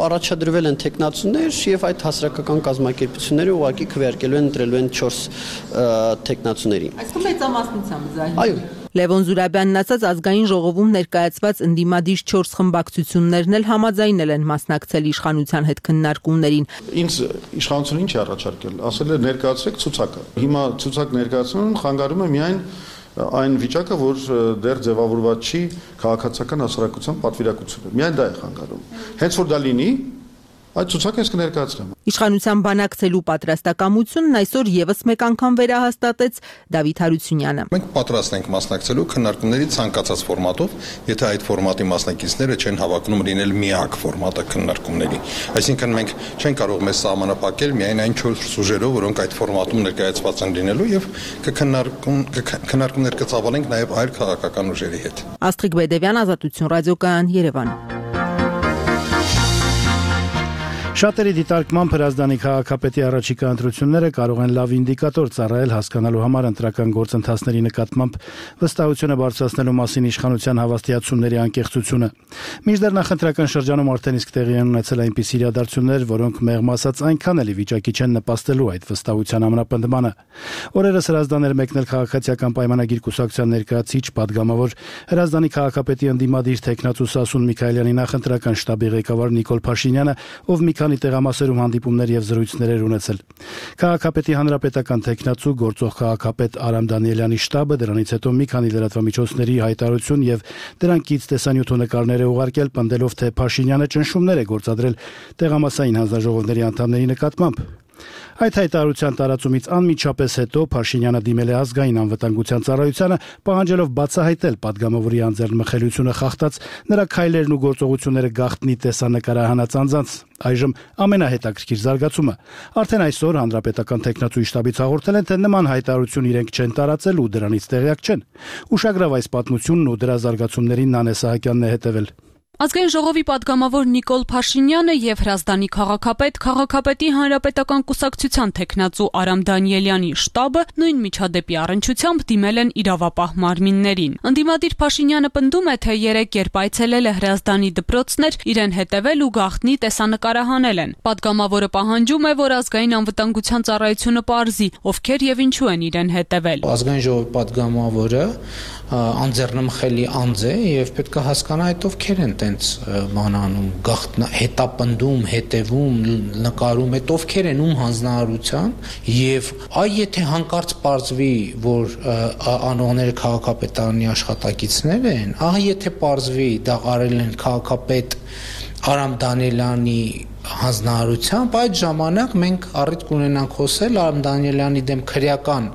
առաջադրվել են տեխնացուներ եւ այդ հասարակական կազմակերպությունները ուղղակի քվեարկելու են ընտրելու են 4 տեխնացուների։ Այսինքն մեծամասնությամբ զահի։ Այո։ Լևոն Զուրաբյանն ասաց ազգային ժողովում ներկայացված ընդդիմադիր 4 խմբակցություններն էլ համաձայնել են մասնակցել իշխանության հետ քննարկումներին։ Ինձ իշխանությունը ինչ է առաջարկել, ասել է ներկայացրեք ցուցակը։ Հիմա ցուցակ ներկայացնում խանգարում է միայն այն վիճակը, որ դեռ ձևավորված չի քաղաքացիական հասարակության պատվիրակությունը։ Միայն դա է խանգարում։ Հենց որ դա լինի, Այդ ցուցակը ես կներկայացնեմ։ Իշխանության բանակցելու պատրաստակամությունն այսօր եւս մեկ անգամ վերահաստատեց Դավիթ Հարությունյանը։ Մենք պատրաստ ենք մասնակցելու քննարկումների ցանկացած ֆորմատով, եթե այդ ֆորմատի մասնակիցները չեն հավակնում լինել միակ ֆորմատը քննարկումների։ Այսինքն մենք չենք կարող մեզ սահմանափակել միայն այն 4 սուժերով, որոնք այդ ֆորմատում ներկայացված են լինելու եւ քննարկումներ կցավալենք նաեւ այլ քաղաքական ուժերի հետ։ Աստղիկ Բեդևյան, Ազատություն ռադիոկայան, Երևան։ Շատերի դիտարկմամբ Հրազդանի քաղաքապետի առաջիկա ընտրությունները կարող են լավ ինդիկատոր ծառայել հասկանալու համար ընտրական գործընթացների նկատմամբ վստահությունը բարձրացնելու մասին իշխանության հավաստիացումների անկեղծությունը։ Մինչդեռ նախընտրական շրջանում արդեն իսկ տեղի են ունեցել այնպիսի իրադարձություններ, որոնք մեղմ ասած այնքան էլ վիճակի չեն նպաստելու այդ վստահության ամրապնդմանը։ Օրերս Հրազդան էր մեկնել քաղաքացիական պայմանագիր կուսակցության ներկայացիչ պատգամավոր Հրազդանի քաղաքապետի ընդդիմադիր տեխնացու Սասուն Միքայելյանի նախընտրական շտաբի ղեկավար Նիկոլ Փաշինյանը, ով մի քանի տեղամասերում հանդիպումներ եւ զրույցներ էր ունեցել։ Քաղաքապետի հանրապետական տեխնացու գործող քաղաքապետ Արամ Դանիելյանի շտաբը դրանից հետո մի քանի լրատվամիջոցների հայտարարություն եւ դրանքից տեսանյութ ու նկարներ է ուղարկել, պնդելով, թե Փաշինյանը ճնշումներ է գործադրել տեղամասային հանձնաժողովների անդամների նկատմամբ։ Այդ հայտարարության տարածումից անմիջապես հետո Փաշինյանը դիմել է ազգային անվտանգության ծառայությանը, պահանջելով բացահայտել պատգամավորի անձեռնմխելիությունը խախտած նրա քայլերն ու գործողությունները գաղտնի տեսանկարահանած անձանց։ Այժմ ամենահետաքրքիր զարգացումը։ Արդեն այսօր հանրապետական տեխնացուի շտաբից հաղորդել են, թե նման հայտարարություն իրենք չեն տարածել ու դրանից տեղյակ չեն։ Ուշագրավ այս պատմությունն ու դրա զարգացումներին Նանե Սահակյանն է հետևել։ Ազգային ժողովի պատգամավոր Նիկոլ Փաշինյանը եւ Հրազդանի քաղաքապետի հանրապետական կուսակցության տեխնացու Արամ Դանիելյանի շտաբը նույն միջադեպի առնչությամբ դիմել են իրավապահ մարմիններին։ Ընդդիմադիր Փաշինյանը պնդում է, թե 3 երբ այցելել է Հրազդանի դպրոցներ, իրեն հետևել ու գաղտնի տեսանկարահանել են։ Պատգամավորը պահանջում է, որ ազգային անվտանգության ծառայությունը պարզի, ովքեր եւ ինչու են իրեն հետևել։ Ազգային ժողովի պատգամավորը անձեռնմխելի անձ է եւ պետք է հասկանա այդ ովքեր են տենց մանանում, հետապնդում, հետևում, նկարում, այդ ովքեր են ում հանձնարարության եւ եթե հանկարծ պարզվի, որ անողները քաղաքապետարանի աշխատակիցներ են, եթե պարզվի դա արել են քաղաքապետ Արամ Դանիելյանի հանձնարարությամբ, այդ ժամանակ մենք առիթ կունենանք խոսել Արամ Դանիելյանի դեմ քրեական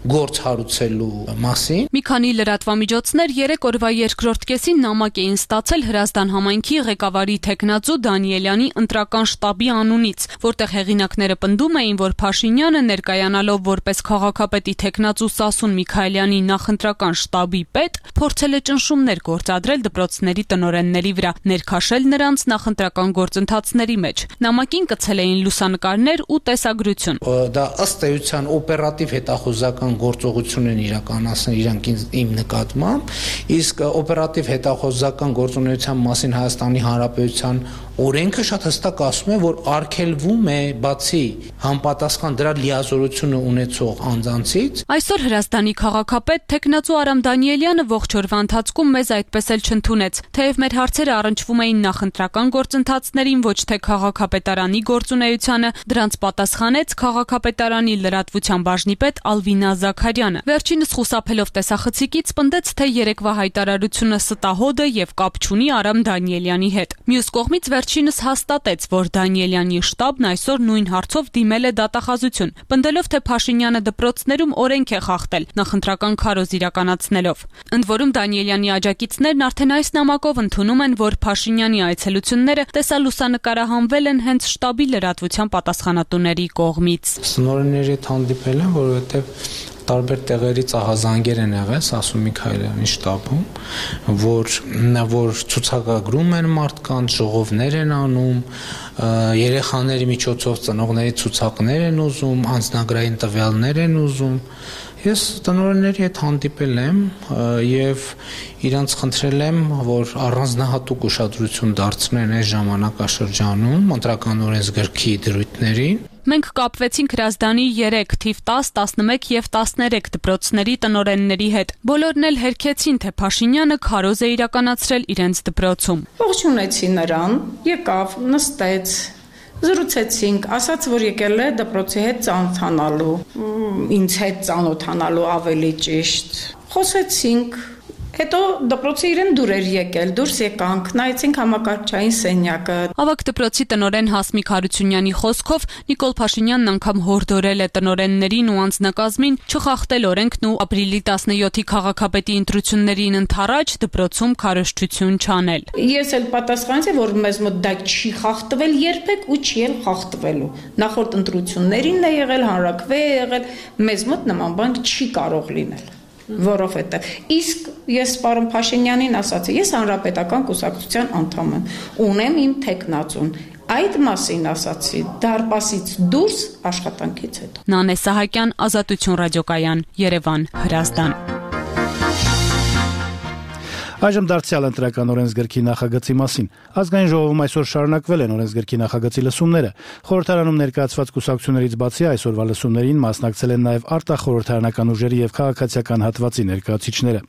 գործ հարուցելու մասին։ Մի քանի լրատվամիջոցներ 3 օրվա երկրորդ կեսին նամակ էին ստացել Հրազդան համայնքի ղեկավարի տեխնացու Դանիելյանի ընտրական շտաբի անունից, որտեղ հեղինակները պնդում էին, որ Փաշինյանը ներկայանալով որպես քաղաքապետի տեխնացու Սասուն Միքայելյանի նախընտրական շտաբի պետ, փորձել է ճնշումներ գործադրել դպրոցների տնօրենների վրա, ներքաշել նրանց նախընտրական գործընթացների մեջ։ Նամակին կցել էին լուսանկարներ ու տեսագրություն։ Դա ըստ էության օպերատիվ հետախուզական գործողություն են իրականացնել իրանք իմ նկատմամբ, իսկ օպերատիվ հետախուզական գործունեության մասին Հայաստանի Հանրապետության օրենքը շատ հստակ ասում է, որ արգելվում է բացի համապատասխան դրա լիազորությունը ունեցող անձանցից։ Այսօր Հրազդանի քաղաքապետ տեխնացու Արամ Դանիելյանը ողջ օրվա ընթացքում մեզ այդպես էլ չընդունեց, թեև մեր հարցերը առնչվում էին նախընտրական գործընթացներին, ոչ թե քաղաքապետարանի գործունեությանը, դրանց պատասխանեց քաղաքապետարանի լրատվության բաժնի պետ Ալվինա Զաքարյանը։ Վերջինս խուսափելով տեսախցիկից պնդեց, թե երեկվա հայտարարությունը ստահոդ է եւ կապ չունի Արամ Դանիելյանի հետ։ Մյուս կողմից վերջինս հաստատեց, որ Դանիելյանի շտաբն այսօր նույն հարցով դիմել է դատախազություն, պնդելով, թե Փաշինյանը դպրոցներում օրենք է խախտել, նախընտրական քարոզ իրականացնելով։ Ընդ որում Դանիելյանի աջակիցներն արդեն այս նամակով ընդունում են, որ Փաշինյանի այցելությունները տեսալուսանկարահանվել են հենց շտաբի լրատվության պատասխանատուների կողմից։ Սնորների հետ հանդիպել են, որովհետև տարբեր տեղերից ահազանգեր են եղել Սասուն Միքայելյանի շտաբում, որ ցուցակագրում են մարդկանց, ժողովներ են անում, երեխաների միջոցով ծնողների ցուցակներ են ուզում, անձնագրային տվյալներ են ուզում։ Ես տնօրենների հետ հանդիպել եմ եւ իրանց խնդրել եմ, որ առանձնահատուկ ուշադրություն դարձնեն այս ժամանակաշրջանում ընտրական օրենսգրքի դրույթներին։ Մենք կապվեցինք Հրազդանի 3, թիվ 10, 11 եւ 13 դպրոցների տնօրենների հետ։ Բոլորն էլ հերքեցին, թե Փաշինյանը քարոզ է իրականացրել իրենց դպրոցում։ Ողջունեցի նրան, եկավ, նստեց, զրուցեցինք, ասաց, որ եկել է դպրոցի հետ ծանոթանալու, ինձ հետ ծանոթանալու ավելի ճիշտ։ Խոսեցինք, Հետո դպրոցի իրեն դուրեր եկել, դուրս եկանք, նայեցինք համակարգչային սենյակը։ Ավագ դպրոցի տնօրեն Հասմիկ Հարությունյանի խոսքով Նիկոլ Փաշինյանն անգամ հորդորել է տնօրեններին ու անձնակազմին չխախտել օրենքն ու ապրիլի 17-ի քաղաքապետի ընտրություններին ընդառաջ դպրոցում քարոզչություն չանել։ Ես էլ պատասխանեցի, որ մեզ մոտ դա չի խախտվել երբեք ու չի էլ խախտվելու։ Նախորդ ընտրություններին է եղել, հանրաքվե է եղել, մեզ մոտ նման բան չի կարող լինել։ Որովհետև իսկ ես պարոն Փաշինյանին ասացի, ես հանրապետական կուսակցության անդամ եմ, ունեմ իմ թեկնածուն, այդ մասին ասացի դարպասից դուրս աշխատանքից հետո։ Նանե Սահակյան, Ազատություն ռադիոկայան, Երևան, Հրազդան։ Այժմ դարձյալ ընտրական օրենսգրքի նախագծի մասին։ Ազգային ժողովում այսօր շարունակվել են օրենսգրքի նախագծի լսումները։ Խորհրդարանում ներկայացված կուսակցություններից բացի այսօրվա լսումներին մասնակցել են նաև արտախորհրդարանական ուժերի եւ քաղաքացիական հատվածի ներկայացուցիչները։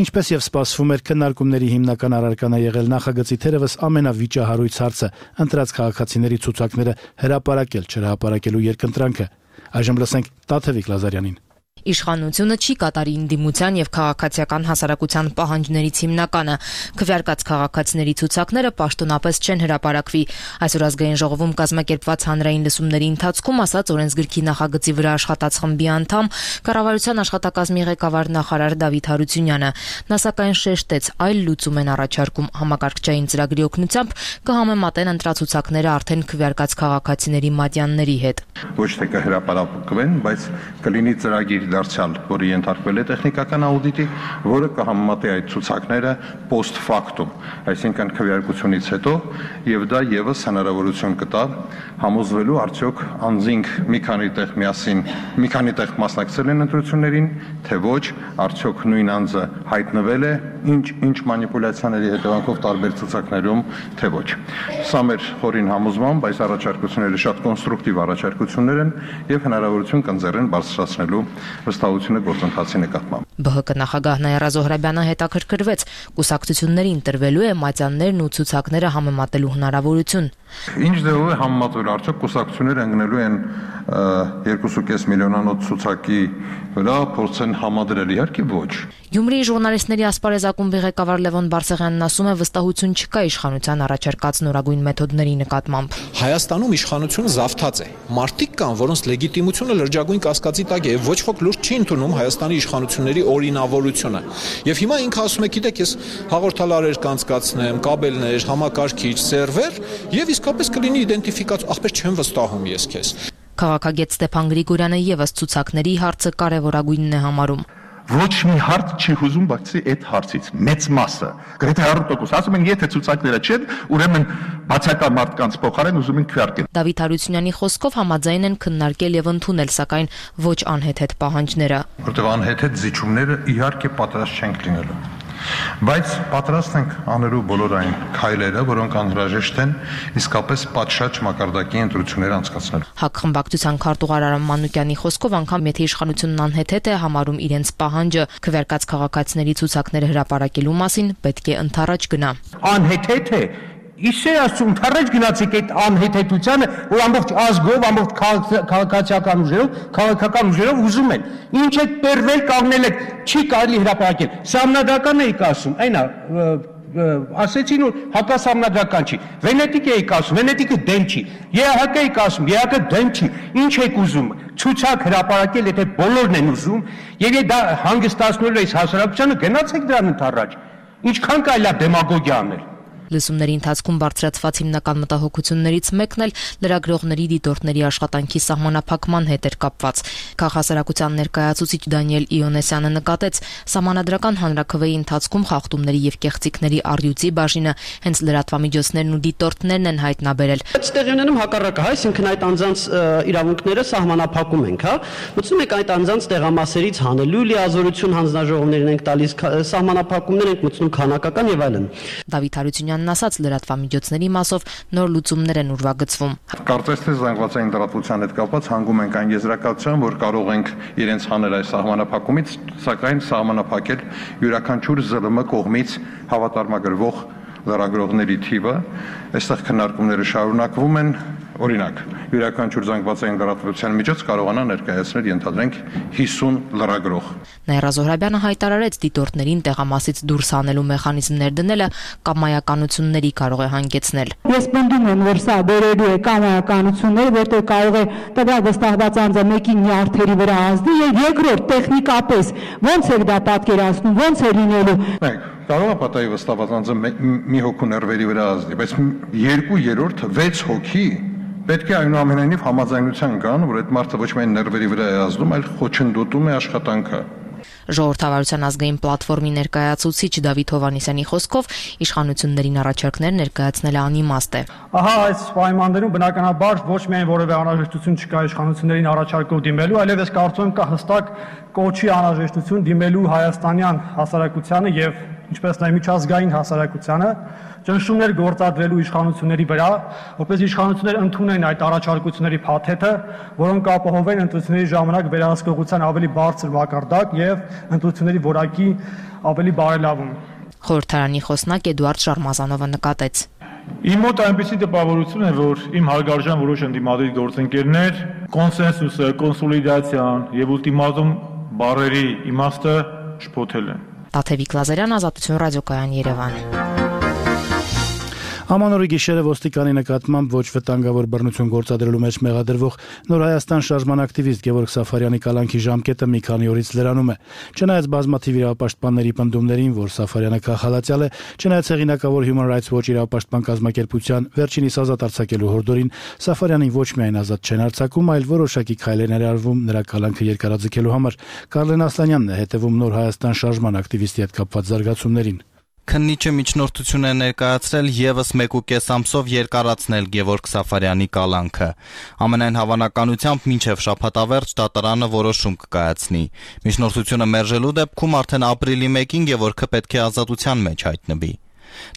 Ինչպես եւ սպասվում էր, քննարկումների հիմնական առարկան է եղել նախագծի թերևս ամենավիճահարույց հարցը՝ ընտրած քաղաքացիների ցուցակները հրապարակել, չհրապարակելու երկընտրանքը։ Այժմ լսենք Տաթևիկ Լազարյանին։ Իշխանությունը չի կատարի ընդդիմության եւ քաղաքացիական հասարակության պահանջներից հիմնականը։ Քվեարկած քաղաքացիների ցուցակները պաշտոնապես չեն հրապարակվի։ Այսօր ազգային ժողովում կազմակերպված հանրային լսումների ընթացքում ասաց օրենսգրքի նախագծի վրա աշխատած խմբի անդամ կառավարության աշխատակազմի ղեկավար նախարար Դավիթ Հարությունյանը։ Նա սակայն շեշտեց, այլ լուծում են առաջարկում համակարգչային ծրագրի օգնությամբ կհամեմատեն ընտրացուցակները արդեն քվեարկած քաղաքացիների մատյանների հետ։ Ոչ թե կհրապարակվեն, բայց կլինի ծրագիր դարձյալ, որը ենթարկվել է տեխնիկական աուդիտի, որը կհամեմատի այդ ցուցակները post factum, այսինքն քվեարկությունից հետո, եւ դա եւս հնարավորություն կտա համոզվելու արդյոք անձինք մի քանի տեղ մասնակցել են ընտրություններին, թե ոչ, արդյոք նույն անձը հայտնվել է ինչ մանիպուլյացիաների հետևանքով տարբեր ցուցակներում, թե ոչ։ Սա մեր խորին համոզմամբ այս առաջարկությունները շատ կոնստրուկտիվ առաջարկություններ են եւ հնարավորություն կընձեռեն բարձրացնելու վստահությունը գործընթացի նկատմամբ։ ԲՀԿ նախագահ Նաիրա Զոհրաբյանը հետաքրքրվեց, կուսակցություններին տրվելու է մատյաններն ու ցուցակները համեմատելու հնարավորություն։ Ինչ ձևով է համեմատվել, արդյոք կուսակցությունները ընկնելու են 2.5 միլիոնանոց ցուցակի վրա, փորձեն համադրել, իհարկե ոչ։ Գյումրիի ժուրնալիստների ասպարեզակումբի ղեկավար Լևոն Բարսեղյանն ասում է, վստահություն չկա իշխանության առաջարկած նորագույն մեթոդների նկատմամբ։ Հայաստանում իշխանությունը զավթած է։ Մարդիկ կան, որոնց լեգիտիմությունը լրջագույն կասկածի տակ է, ոչ ոք լուրջ չի ընդունում Հայաստանի իշխանությունների օրինավորությունը։ Եվ հիմա ինքը ասում է, գիտեք, ես հաղորդալարեր կանցկացնեմ, կաբելներ, համակարգիչ, սերվեր, եւ իսկապես կլինի իդենտիֆիկացիա, ախպեր չեմ վստահում ես քեզ։ Քաղաքագետ Ստեփան Գրիգորյանը եւս ցուցակների հարցը կարևորագույնն է համարում։ Ոչ մի հարց չի հուզում բացի այդ հարցից, մեծ մասը, գրեթե 100%, ասում են, եթե ցուցակները չեն, ուրեմն բացակա մարդկանց փոխարեն ուզում են քվեարկել։ Դավիթ Հարությունյանի խոսքով համաձայն են քննարկել եւ ընդունել, սակայն ոչ անհեթեթ պահանջները։ Որտեղ անհեթեթ զիջումները իհարկե պատրաստ չենք լինելու։ Բայց պատրաստ ենք անելու բոլոր այն քայլերը, որոնք անհրաժեշտ են իսկապես պատշաճ մակարդակի ընտրություններ անցկացնելու։ ՀԱԿ խմբակցության քարտուղար Արամ Մանուկյանի խոսքով անգամ եթե իշխանությունն անհեթեթ է համարում իրենց պահանջը քվեարկած քաղաքացիների ցուցակները հրապարակելու մասին, պետք է ընդառաջ գնա։ Անհեթեթ է Իշե ասում թարեջ գնացիք այդ անհեթեթությանը, որ ամբողջ ազգով, ամբողջ քաղաքական ուժերով ուզում են։ Ինչ է պերվել կանգնել եք, չի կարելի հրապարակել։ Սահմանադրական էիք ասում, այնա ասեցին որ հակասահմանադրական չի։ Վենետիկ էիք ասում, Վենետիկը դեմ չի։ ԵԱՀԿ էիք ասում, ԵԱՀԿ դեմ չի։ Ինչ եք ուզում։ Ցուցակ հրապարակել, եթե բոլորն են ուզում, եւ դա հանգստացնելու է հասարակությանը, գնացեք դրան ընդառաջ։ Ինչքան կարելի է դեմագոգիա անել։ Լսումների ընթացքում բարձրացված հիմնական մտահոգություններից մեկն էլ լրագրողների դիտորդների աշխատանքի սահմանափակման հետ էր կապված։ Քաղաքասարակության ներկայացուցիչ Դանիել Իոնեսյանը նկատեց, սահմանադրական հանրաքվեի ընթացքում խախտումների եւ կեղծիքների առյուծի բաժինը հենց լրատվամիջոցներն ու դիտորդներն են հայտնաբերել։ Այստեղ ունենում հակառակը, այսինքն այդ անձանց իրավունքները սահմանափակում ենք, հա։ Մտցնում եք այդ անձանց տեղամասերից հանելու լիազորություն հանձնաժողովներին ենք տալիս, սահմանափակումներ ենք մտցնում քանակական եւ այլն։ Դավիթ Հարությունյանն ասաց, լրատվամիջոցների մասով նոր լուծումներ են ուրվագծվում։ Կարծես թե զանգվածային լրատվության հետ կապված հանգում ենք այն եզրակացության, որ կարող ենք իրենց հանել այս սահմանափակումից, սակայն սահմանափակել յուրաքանչյուր ԶԼՄ կողմից հավատարմագրվող լրագրողների թիվը։ Այստեղ քննարկումները շարունակվում են, օրինակ, յուրաքանչյուր զանգվածային լրատվության միջոց կարողանա ներկայացնել ենթադրենք 50 լրագրող։ Նաիրա Զոհրաբյանը հայտարարեց դիտորդներին տեղամասից դուրս հանելու մեխանիզմներ դնելը կամայականությունների կարող է հանգեցնել։ Ես պնդում եմ, որ սա բերելու է կամայականություններ, որտեղ կարող է տվյալ վստահված անձը մեկի նյարդերի վրա ազդի, եւ երկրորդ տեխնիկապես ոնց է դա պատկերացնում, ոնց է լինելու։ Կարող է պատահի վստահված անձը մի հոգու ներվերի վրա ազդի, բայց 2/3, 6 հոգի պետք է այնուամենայնիվ համաձայնության կան, որ այդ մարդը ոչ միայն ներվերի վրա է ազդում, այլ խոչընդոտում է աշխատանքը։ Ժողովրդավարության ազգային պլատֆորմի ներկայացուցիչ Դավիթ Հովհաննիսյանի խոսքով իշխանություններին առաջարկներ ներկայացնելը անիմաստ է։ Ահա այս պայմաններում բնականաբար ոչ միայն որևէ անհրաժեշտություն չկա իշխանություններին առաջարկով դիմելու, այլև ես կարծում եմ կա հստակ կոչի անհրաժեշտություն դիմելու հայաստանյան հասարակությանը եւ ինչպես նաեւ միջազգային հասարակությանը ճնշումներ գործադրելու իշխանությունների վրա, որպես իշխանությունները ընդունեն այդ առաջարկությունների փաթեթը, որոնք ապահովեն ընտրությունների ժամանակ վերահսկողության ավելի բարձր մակարդակ եւ ընտրությունների որակի ավելի բարելավում։ Խորհրդարանի խոսնակ Էդուարդ Շարմազանովը նկատեց. Իմ մոտ այնպիսի տպավորություն է, որ իմ հարգարժան որոշ ընդդիմադիր գործընկերներ կոնսենսուսը, կոնսոլիդացիան եւ ուլտիմատում բառերի իմաստը շփոթել են։ Տաթևիկ Լազարյան, Ազատություն ռադիոկայան, Երևան։ Ամանորի գիշերը ոստիկանի նկատմամբ ոչ վտանգավոր բռնություն գործադրելու մեջ մեղադրվող Նոր Հայաստան շարժման ակտիվիստ Գևորգ Սաֆարյանի կալանքի ժամկետը մի քանի օրից լրանում է։ Չնայած բազմաթիվ իրավապաշտպանների պնդումներին, որ Սաֆարյանը քաղաքացիալ է, չնայած հեղինակավոր Human Rights Watch իրավապաշտպան կազմակերպության վերջինիս ազատ արձակելու հորդորին, Սաֆարյանին ոչ միայն ազատ չեն արձակում, այլ որոշակի քայլեր ներառվում նրա կալանքը երկարաձգելու համար։ Կարլեն Ասլանյանն է հետևում Նոր Հայաստան շարժման ակտիվիստի հետ կապված զարգացումներին։ Քննիչը միջնորդություն է ներկայացրել եւս 1.5 ամսով երկարացնել Գևորգ Սաֆարյանի կալանքը։ Ամենայն հավանականությամբ մինչև շաբաթավերջ դատարանը որոշում կկայացնի։ Միջնորդությունը մերժելու դեպքում արդեն ապրիլի 1-ին Գևորգը պետք է ազատության մեջ հայտնվի։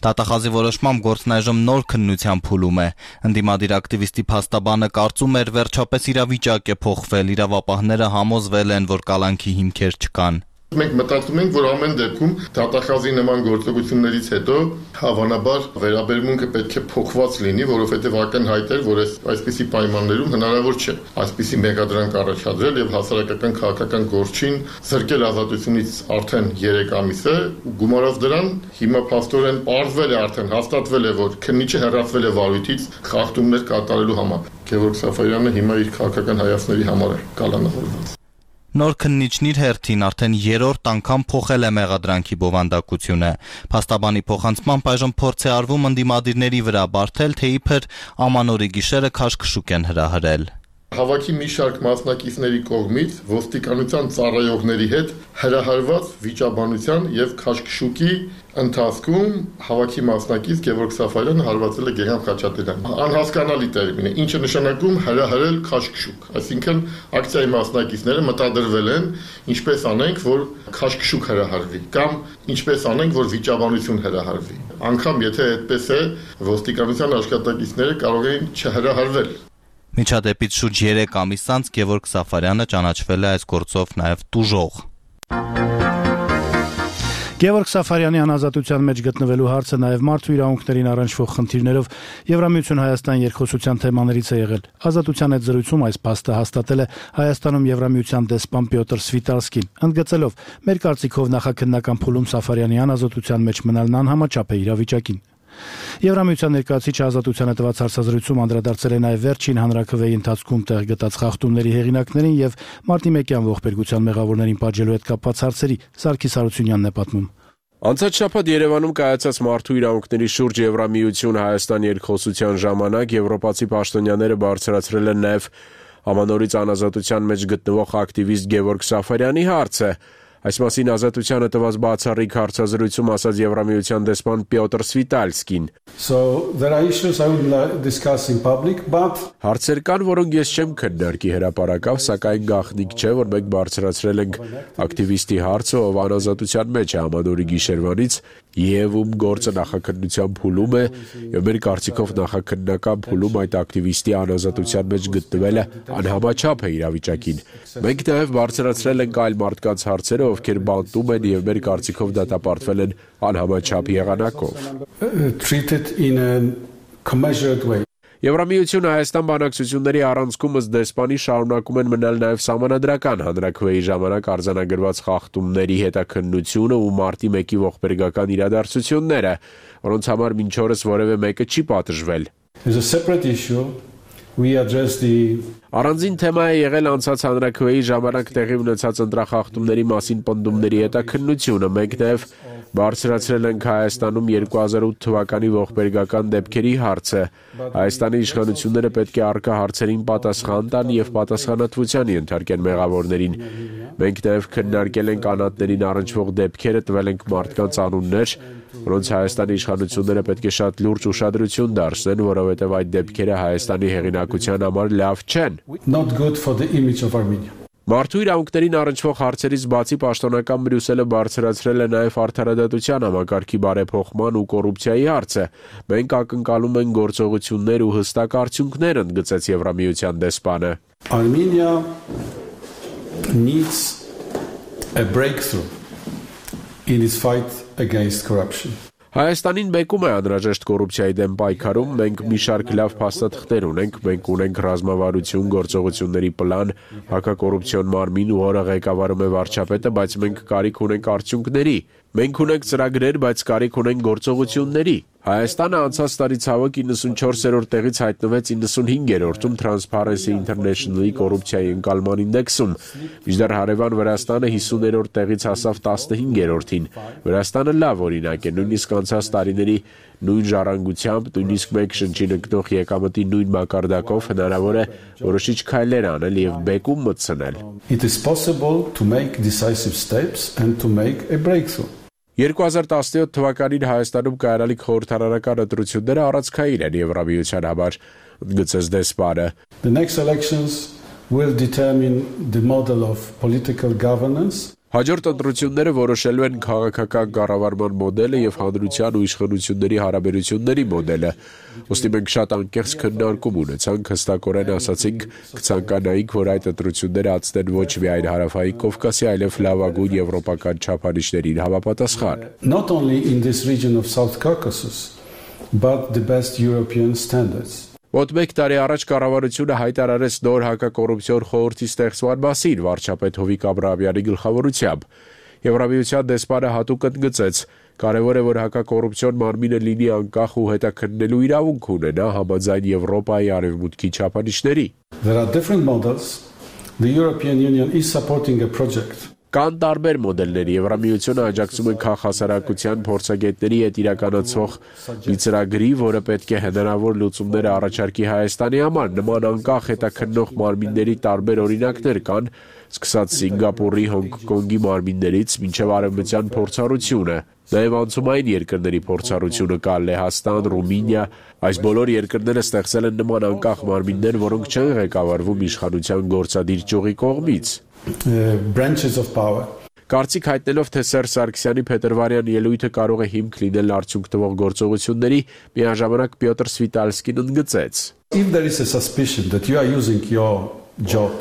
Դատախազի որոշմամբ գործն այժմ նոր քննության փուլում է։ Ընդդիմադիր ակտիվիստի փաստաբանը կարծում էր վերջապես իրավիճակ է փոխվել, իրավապահները համոզվել են, որ կալանքի հիմքեր չկան։ Մենք մտածում ենք, որ ամեն դեպքում դատախազի նման գործողություններից հետո հավանաբար վերաբերմունքը պետք է փոխված լինի, որովհետև ակնհայտ էր, որ այսպիսի պայմաններում հնարավոր չէ այսպիսի մեղադրանք առաջադրել եւ հասարակական քաղաքական գործին զրկել ազատությունից արդեն 3 ամիս է, գումարած դրան հիմա փաստորեն պարզվել է, արդեն հաստատվել է, որ քննիչը հեռացվել է վարույթից խախտումներ կատարելու համար։ Գևորգ Սաֆարյանը հիմա իր քաղաքական հայացքների համար է կալանավորված։ Նոր քննիչն իր հերթին արդեն 3-րդ անգամ փոխել է մեղադրանքի բովանդակությունը։ Փաստաբանի փոխանցմամբ այժմ փորձ է արվում ընդդիմադիրների վրա բարթել, թե իբր Ամանորի գիշերը քաշքշուկ են հրահրել։ Հավաքի մի շարք մասնակիցների կողմից ոստիկանության ծառայողների հետ հրահարված վիճաբանության եւ քաշքշուկի ընթացքում հավաքի մասնակից Գևորգ Սաֆարյանը հարվածել է Գեգամ Խաչատրյան։ Անհասկանալի տերմին է, ինչը նշանակում հրահարել քաշքշուկ, այսինքն ակցիայի մասնակիցները մտադրվել են, ինչպես անենք, որ քաշքշուկ հրահարվի, կամ ինչպես անենք, որ վիճաբանություն հրահարվի։ Անկամ եթե այդպես է, ոստիկանության աշխատակիցները կարող են չհրահարվել։ Միջադեպից շուրջ 3 ամիս անց Գևորգ Սաֆարյանը ճանաչվել է այս գործով նաև տուժող։ Գևորգ Սաֆարյանի անազատության մեջ գտնվելու հարցը նաև մարդու իրավունքներին առնչվող խնդիրներով Եվրամիություն Հայաստան երկխոսության թեմաներից է եղել։ Ազատության այդ զրույցում այս փաստը հաստատել է Հայաստանում Եվրամիության դեսպան Պյոտր Սվիտալսկին, ընդգծելով. «Մեր կարծիքով նախաքննական փուլում Սաֆարյանի անազատության մեջ մնալն անհամաչափ է իրավիճակին»։ Եվրամիության ներկայացուցիչը ազատությանը տված հարցազրույցում անդրադարձել է նաև վերջին հանրաքվեի ընթացքում տեղ գտած խախտումների հեղինակներին եւ մարտի 1-յան ողբերգության մեղավորներին պատժելու հետ կապված հարցերի։ Սարգիս Հարությունյանն է պատմում։ Անցած շաբաթ Երևանում կայացած մարդու իրավունքների շուրջ Եվրամիություն Հայաստան երկխոսության ժամանակ եվրոպացի պաշտոնյաները բարձրացրել են նաև Ամանորից անազատության մեջ գտնվող ակտիվիստ Գևորգ Սաֆարյանի հարցը։ Այս մասին ազատությանը տված բացառիկ հարցազրույցում ասաց Եվրամիության դեսպան Պյոտր Սվիտալսկին. Հարցեր կան, որոնք ես չեմ քննարկի հրապարակավ, սակայն գաղտնիք չէ, որ մենք բարձրացրել ենք ակտիվիստի հարցը, ով անազատության մեջ է Ամանորի գիշերվանից եւ ում գործը նախաքննության փուլում է, եւ մեր կարծիքով նախաքննական փուլում այդ ակտիվիստի անազատության մեջ գտնվելը անհամաչափ է իրավիճակին։ Մենք նաեւ բարձրացրել ենք այլ մարդկանց հարցերը, ովքեր բանտում են եւ մեր կարծիքով դատապարտվել են անհամաչափ եղանակով։ Եվրամիությունը Հայաստան բանակցությունների առանցքում ըստ դեսպանի շարունակում են մնալ նաև սահմանադրական հանրաքվեի ժամանակ արձանագրված խախտումների հետաքննությունը ու մարտի 1-ի ողբերգական իրադարձությունները, որոնց համար մինչ օրս որևէ մեկը չի պատժվել։ Առանձին թեմա է եղել անցած հանրաքվեի ժամանակ տեղի ունեցած ընտրախախտումների մասին պնդումների հետաքննությունը, մենք նաև բարձրացրել ենք Հայաստանում 2008 թվականի ողբերգական դեպքերի հարցը։ Հայաստանի իշխանությունները պետք է առկա հարցերին պատասխան տան եւ պատասխանատվության ենթարկեն մեղավորներին։ Մենք նաև քննարկել ենք անհատներին առնչվող դեպքերը, տվել ենք մարդկանց անուններ, որոնց Հայաստանի իշխանությունները պետք է շատ լուրջ ուշադրություն դարձնեն, որովհետև այդ դեպքերը Հայաստանի հեղինակության համար լավ չեն։ Մարդու իրավունքներին առնչվող հարցերից բացի պաշտոնական Բրյուսելը բարձրացրել է նաև արդարադատության համակարգի բարեփոխման ու կոռուպցիայի հարցը։ Մենք ակնկալում ենք գործողություններ ու հստակ արդյունքներ, ընդգծեց Եվրամիության դեսպանը։ Armenia needs a breakthrough in its fight against corruption. Հայաստանին մեկում է անհրաժեշտ կոռուպցիայի դեմ պայքարում, մենք մի շարք լավ փաստաթղթեր ունենք, մենք ունենք ռազմավարություն, գործողությունների պլան, հակակոռուպցիոն մարմին ու որը ղեկավարում է վարչապետը, բայց մենք կարիք ունենք արդյունքների։ Մենք ունենք ծրագրեր, բայց կարիք ունենք գործողությունների։ Հայաստանը անցած տարի ցավոք 94-րդ տեղից հայտնվեց 95-րդում Transparency International-ի կոռուպցիայի ընկալման ինդեքսում, մինչդեռ հարևան Վրաստանը 50-րդ տեղից հասավ 15-րդին։ Վրաստանը լավ օրինակ է, նույնիսկ անցած տարիների նույն ժառանգությամբ, նույնիսկ մեկ շնչին ընկնող եկամտի նույն մակարդակով հնարավոր է որոշիչ քայլեր անել եւ բեկում մտցնել։ It is possible to make decisive steps and to make a breakthrough. 2017 թվականին Հայաստանում կայանալիք խորհրդարանական ընտրությունները առանցքային են Եվրամիության համար, ընդգծեց դեսպանը։ The next elections will determine the model of political governance. Հաջորդ ընտրությունները որոշելու են քաղաքական կառավարման մոդելը եւ հանրության ու իշխանությունների հարաբերությունների մոդելը։ Ոստի մենք շատ անկեղծ քննարկում ունեցանք, հստակորեն ասացինք, կցանկանայինք, որ այդ ընտրությունները ածնեն ոչ միայն հարավային Կովկասի, այլև լավագույն եվրոպական չափանիշներին համապատասխան։ Not only in this region of South Caucasus, but the best European standards. Մոտ մեկ տարի առաջ կառավարությունը հայտարարեց նոր հակակոռուպցիոն խորհրդի ստեղծման մասին վարչապետ Հովիկ Աբրահամյանի գլխավորությամբ։ Եվրամիության դեսպանը հատուկ ընդգծեց, կարևոր է, որ հակակոռուպցիոն մարմինը լինի անկախ ու հետաքննելու իրավունք ունենա համաձայն Եվրոպայի արևմուտքի չափանիշների։ There are different models. The European Union is supporting a project. Կան տարբեր մոդելներ, Եվրամիությունը աջակցում է քաղաքասարակության փորձագետների հետ իրականացվող մի ծրագրի, որը պետք է հնարավոր լուծումներ առաջարկի Հայաստանի համար։ Նման անկախ հետաքննող մարմինների տարբեր օրինակներ կան, սկսած Սինգապուրի, Հոնկոնգի մարմիններից մինչև արևմտյան փորձառությունը։ Նաև անցումային երկրների փորձառությունը կա Լեհաստան, Ռումինիա, այս բոլոր երկրները ստեղծել են նման անկախ մարմիններ, որոնք չեն ղեկավարվում իշխանության գործադիր ճյուղի կողմից։ Branches of power. Կարծիք հայտնելով, թե Սերժ Սարգսյանի փետրվարյան ելույթը կարող է հիմք լինել արդյունք տվող գործողությունների, միաժամանակ Պյոտր Սվիտալսկին ընդգծեց. If there is a suspicion that you are using your job.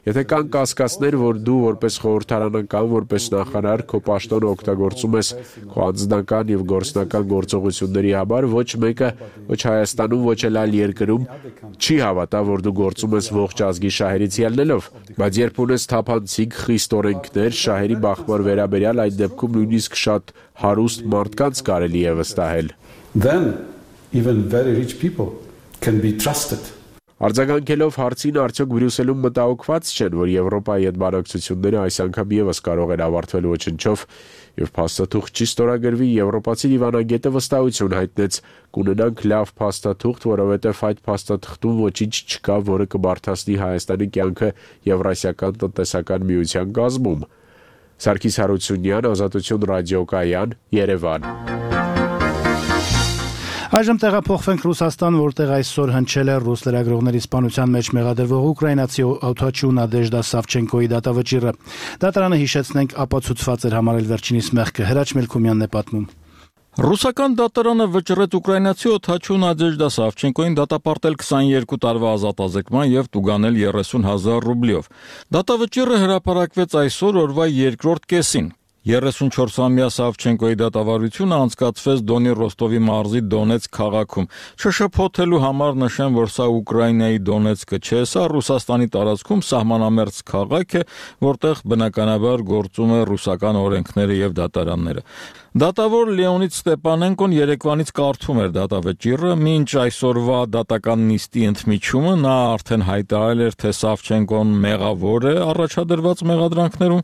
Եթե կան կասկածներ, որ դու որպես խորհրդարանական, որպես նախարար քո պաշտոնը օգտագործում ես քո անձնական եւ գործնական գործողությունների համար, ոչ մեկը, ոչ Հայաստանում, ոչ էլ այլ երկրում չի հավատա, որ դու գործում ես ողջ ազգի շահերից ելնելով, բայց երբ ունես թափանցիկ խիստ օրենքներ, շահերի բախման վերաբերյալ, այդ դեպքում նույնիսկ շատ հարուստ մարդկանց կարելի է վստահել։ Then even very rich people can be trusted. Արձագանքելով հարցին, արդյոք Բրյուսելում մտահոգված չեն, որ Եվրոպայի հետ բանակցությունները այս անգամ եւս կարող են ավարտվել ոչնչով, եւ փաստաթուղթ չի ստորագրվի, եվրոպացի դիվանագետը վստահություն հայտնեց, կունենանք լավ փաստաթուղթ, որովհետեւ այդ փաստաթղթում ոչինչ չկա, որը կբարթացնի Հայաստանի կյանքը Եվրասիական տնտեսական միության կազմում։ Սարգիս Հարությունյան, Ազատություն ռադիոկայան, Երևան։ Այժմ տեղափոխվենք Ռուսաստան, որտեղ այսօր հնչել է ռուս լրագրողների սպանության մեջ մեղադրվող ուկրաինացի օդաչու Նադեժդա Սավչենկոյի դատավճիռը։ Դատարանը, հիշեցնենք, ապացուցված էր համարել վերջինիս մեղքը։ Հրաչ Մելքումյանն է պատմում։ Ռուսական դատարանը վճռեց ուկրաինացի օդաչու Նադեժդա Սավչենկոյին դատապարտել 22 տարվա ազատազրկման եւ տուգանել 30,000 ռուբլիով։ Դատավճիռը հրապարակվեց այսօր օրվա երկրորդ կեսին։ 34-ամյա Սավչենկոյի դատավարությունը անցկացվեց Դոնի Ռոստովի մարզի Դոնեցկ քաղաքում։ Չշփոթելու համար նշեմ, որ սա Ուկրաինայի Դոնեցկը չէ, սա Ռուսաստանի տարածքում սահմանամերձ քաղաք է, որտեղ բնականաբար գործում է ռուսական օրենքները եւ դատարանները։ Դատավոր Լեոնիդ Ստեփանենկոն երեկվանից կարդում էր դատավճիռը, մինչ այսօրվա դատական նիստի ընդմիջումը նա արդեն հայտարարել էր, թե Սավչենկոն մեղավոր է առաջադրված մեղադրանքներում,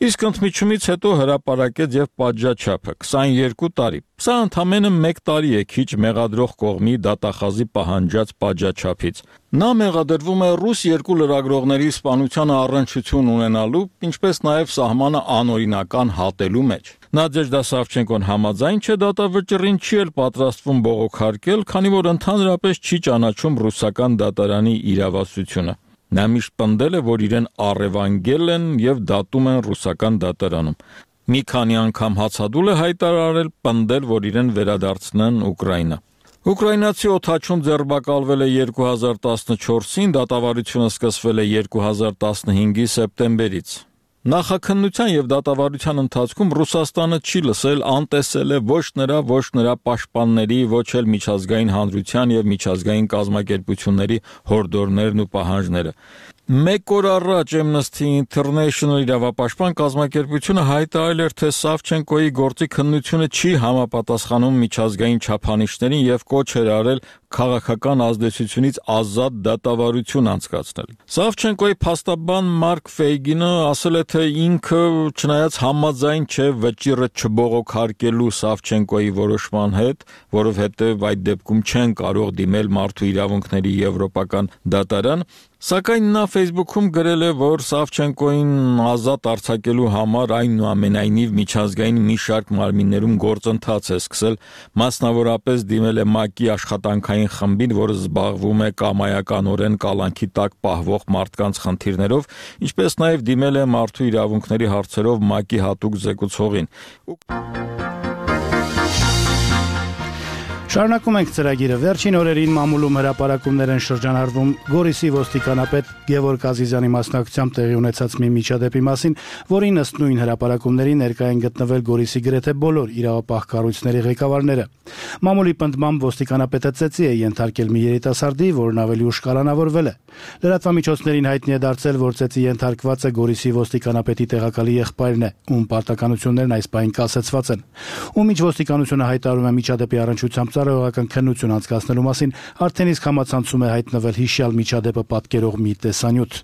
իսկ ընդմիջումից հետո հրապարակեց եւ պատժաչափը 22 տարի։ Սա ընդամենը 1 տարի է քիչ մեղադրող կողմի դատախազի պահանջած պատժաչափից։ Նա մեղադրվում է ռուս 2 լրագրողների սպանությանը առնչություն ունենալու, ինչպես նաև սահմանը անօրինական հատելու մեջ։ Նադեժդա Սավչենկոն համաձայն չէ դատավճռին, չի էլ պատրաստվում բողոքարկել, քանի որ ընդհանրապես չի ճանաչում ռուսական դատարանի իրավասությունը։ Նա միշտ պնդել է, որ իրեն առևանգել են եւ դատում են ռուսական դատարանում։ Մի քանի անգամ հացադուլ է հայտարարել, պնդել, որ իրեն վերադարձնեն Ուկրաինա։ Ուկրաինացի օդաչուն ձերբակալվել է 2014-ին, դատավարությունը սկսվել է 2015-ի սեպտեմբերից։ Նախաքննության եւ դատավարության ընթացքում Ռուսաստանը չի լսել, անտեսել է ոչ նրա պաշտպանների, ոչ էլ միջազգային հանրության եւ միջազգային կազմակերպությունների հորդորներն ու պահանջները։ 1 օր առաջ Amnesty International իրավապաշտպան կազմակերպությունը հայտարարել էր, թե Սավչենկոյի գործի քննությունը չի համապատասխանում միջազգային չափանիշներին եւ կոչ էր արել քաղաքական ազդեցությունից ազատ դատավարություն անցկացնել։ Սավչենկոյի փաստաբան Մարկ Ֆեյգինը ասել է, թե ինքը չնայած համաձայն չէ վճիռը չբողոքարկելու Սավչենկոյի որոշման հետ, որովհետև այդ դեպքում չեն կարող դիմել մարդու իրավունքների եվրոպական դատարան, սակայն նա Facebook-ում գրել է, որ Սավչենկոյին ազատ արձակելու համար այնուամենայնիվ միջազգային մի շարք մարմիններում գործընթաց է սկսել, մասնավորապես դիմել է ՄԱԿ-ի աշխատանքային խմբին, որը զբաղվում է կամայականորեն կալանքի տակ պահվող մարդկանց խնդիրներով, ինչպես նաև դիմել է մարդու իրավունքների հարցերով ՄԱԿ-ի հատուկ զեկուցողին։ Շարունակում ենք ծրագիրը։ Վերջին օրերին մամուլում հրապարակումներ են շրջանառվում Գորիսի ոստիկանապետ Գևորգ Ազիզյանի մասնակցությամբ տեղի ունեցած մի միջադեպի մասին, որին ըստ նույն հրապարակումների ներկայ են գտնվել Գորիսի գրեթե բոլոր իրավապահ կառույցների ղեկավարները։ Մամուլի պնդմամբ ոստիկանապետը ծեծի է ենթարկել մի երիտասարդի, որն ավելի ուշ կալանավորվել է։ Լրատվամիջոցներին հայտնի է դարձել, որ ծեծի ենթարկվածը Գորիսի ոստիկանապետի տեղակալի եղբայրն է, ում պարտականություններն այս պահին կասեցված են։ Ում ինչ ոստիկանությունը հայտարարում է միջադեպի առնչությամբ ծառայողական քննություն անցկացնելու մասին, արդեն իսկ համացանցում է հայտնվել հիշյալ միջադեպը պատկերող մի տեսանյութ։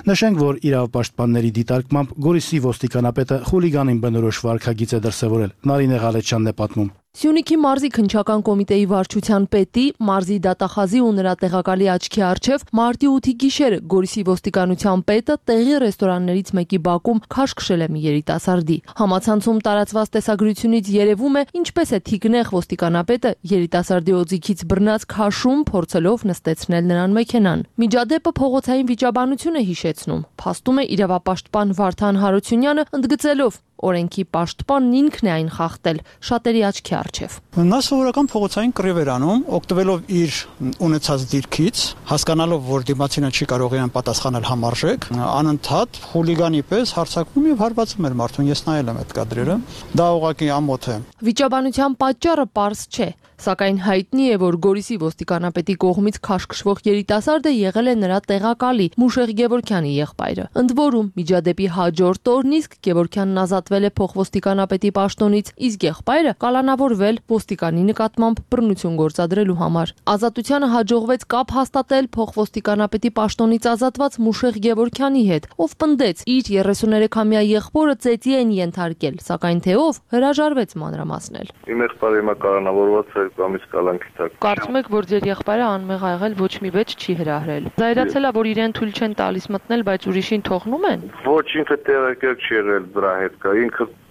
Նշենք, որ իրավապաշտպանների դիտարկմամբ Գորիսի ոստիկանապետը խուլիգանին բնորոշ վարքագիծ է դրսևորել։ Նարինե Ղալեչյանն է պատմում։ Սյունիքի մարզի քննչական կոմիտեի վարչության պետի, մարզի դատախազի ու նրա տեղակալի աչքի առջև մարտի 8-ի գիշերը Գորիսի ոստիկանության պետը տեղի ռեստորաններից մեկի բակում քաշ քշել է մի երիտասարդի։ Համացանցում տարածված տեսագրությունից երևում է, ինչպես է թիկնեղ ոստիկանապետը երիտասարդի օձիքից բռնած քաշում, փորձելով նստեցնել նրան մեքենան։ Միջադեպը փողոցային վիճաբանություն է հիշեցնում, փաստում է իրավապաշտպան Վարդան Հարությունյանը, ընդգծելով օրենքի պաշտպանն ինքն է այն խախտել շատերի աչքի առջև։ Նա սովորական փողոցային կռիվ էր անում, օգտվելով իր ունեցած դիրքից, հասկանալով, որ դիմացինը չի կարող իրեն պատասխանել համարժեք, անընդհատ խուլիգանի պես հարձակվում եւ հարվածում էր մարդուն։ Ես նայել եմ այդ կադրերը։ Դա ուղղակի ամոթ է։ Վիճաբանության պատճառը պարզ չէ, սակայն հայտնի է, որ Գորիսի ոստիկանապետի կողմից քաշքշվող երիտասարդը եղել է նրա տեղակալի Մուշեղ Գևորգյանի եղբայրը։ Ընդ որում, միջադեպի հաջորդ օրն իսկ Գևորգյանն ազատվել է փոխոստիկանապետի պաշտոնից, իսկ եղբայրը կալանավորվել ոստիկանի նկատմամբ բռնություն գործադրելու համար։ Ազատությանը հաջողվեց կապ հաստատել փոխոստիկանապետի պաշտոնից ազատված Մուշեղ Գևորգյանի հետ, ով պնդեց իր 33-ամյա եղբորը ծեծի են ենթարկել, սակայն թե ով հրաժարվեց մանրամասնել։ Իմ եղբայրը հիմա կալանավորված է կամից կալանքի տակ։ Կարծում եք, որ ձեր եղբայրը անմեղ ա եղել, ոչ մի վեճ չի հրահրել։ Զայրացել է, որ իրեն թույլ չեն տալիս մտնել, բայց ուրիշին թողնում են։ Ոչ, ինքը տեղեկել չի եղել դրա հետ կա,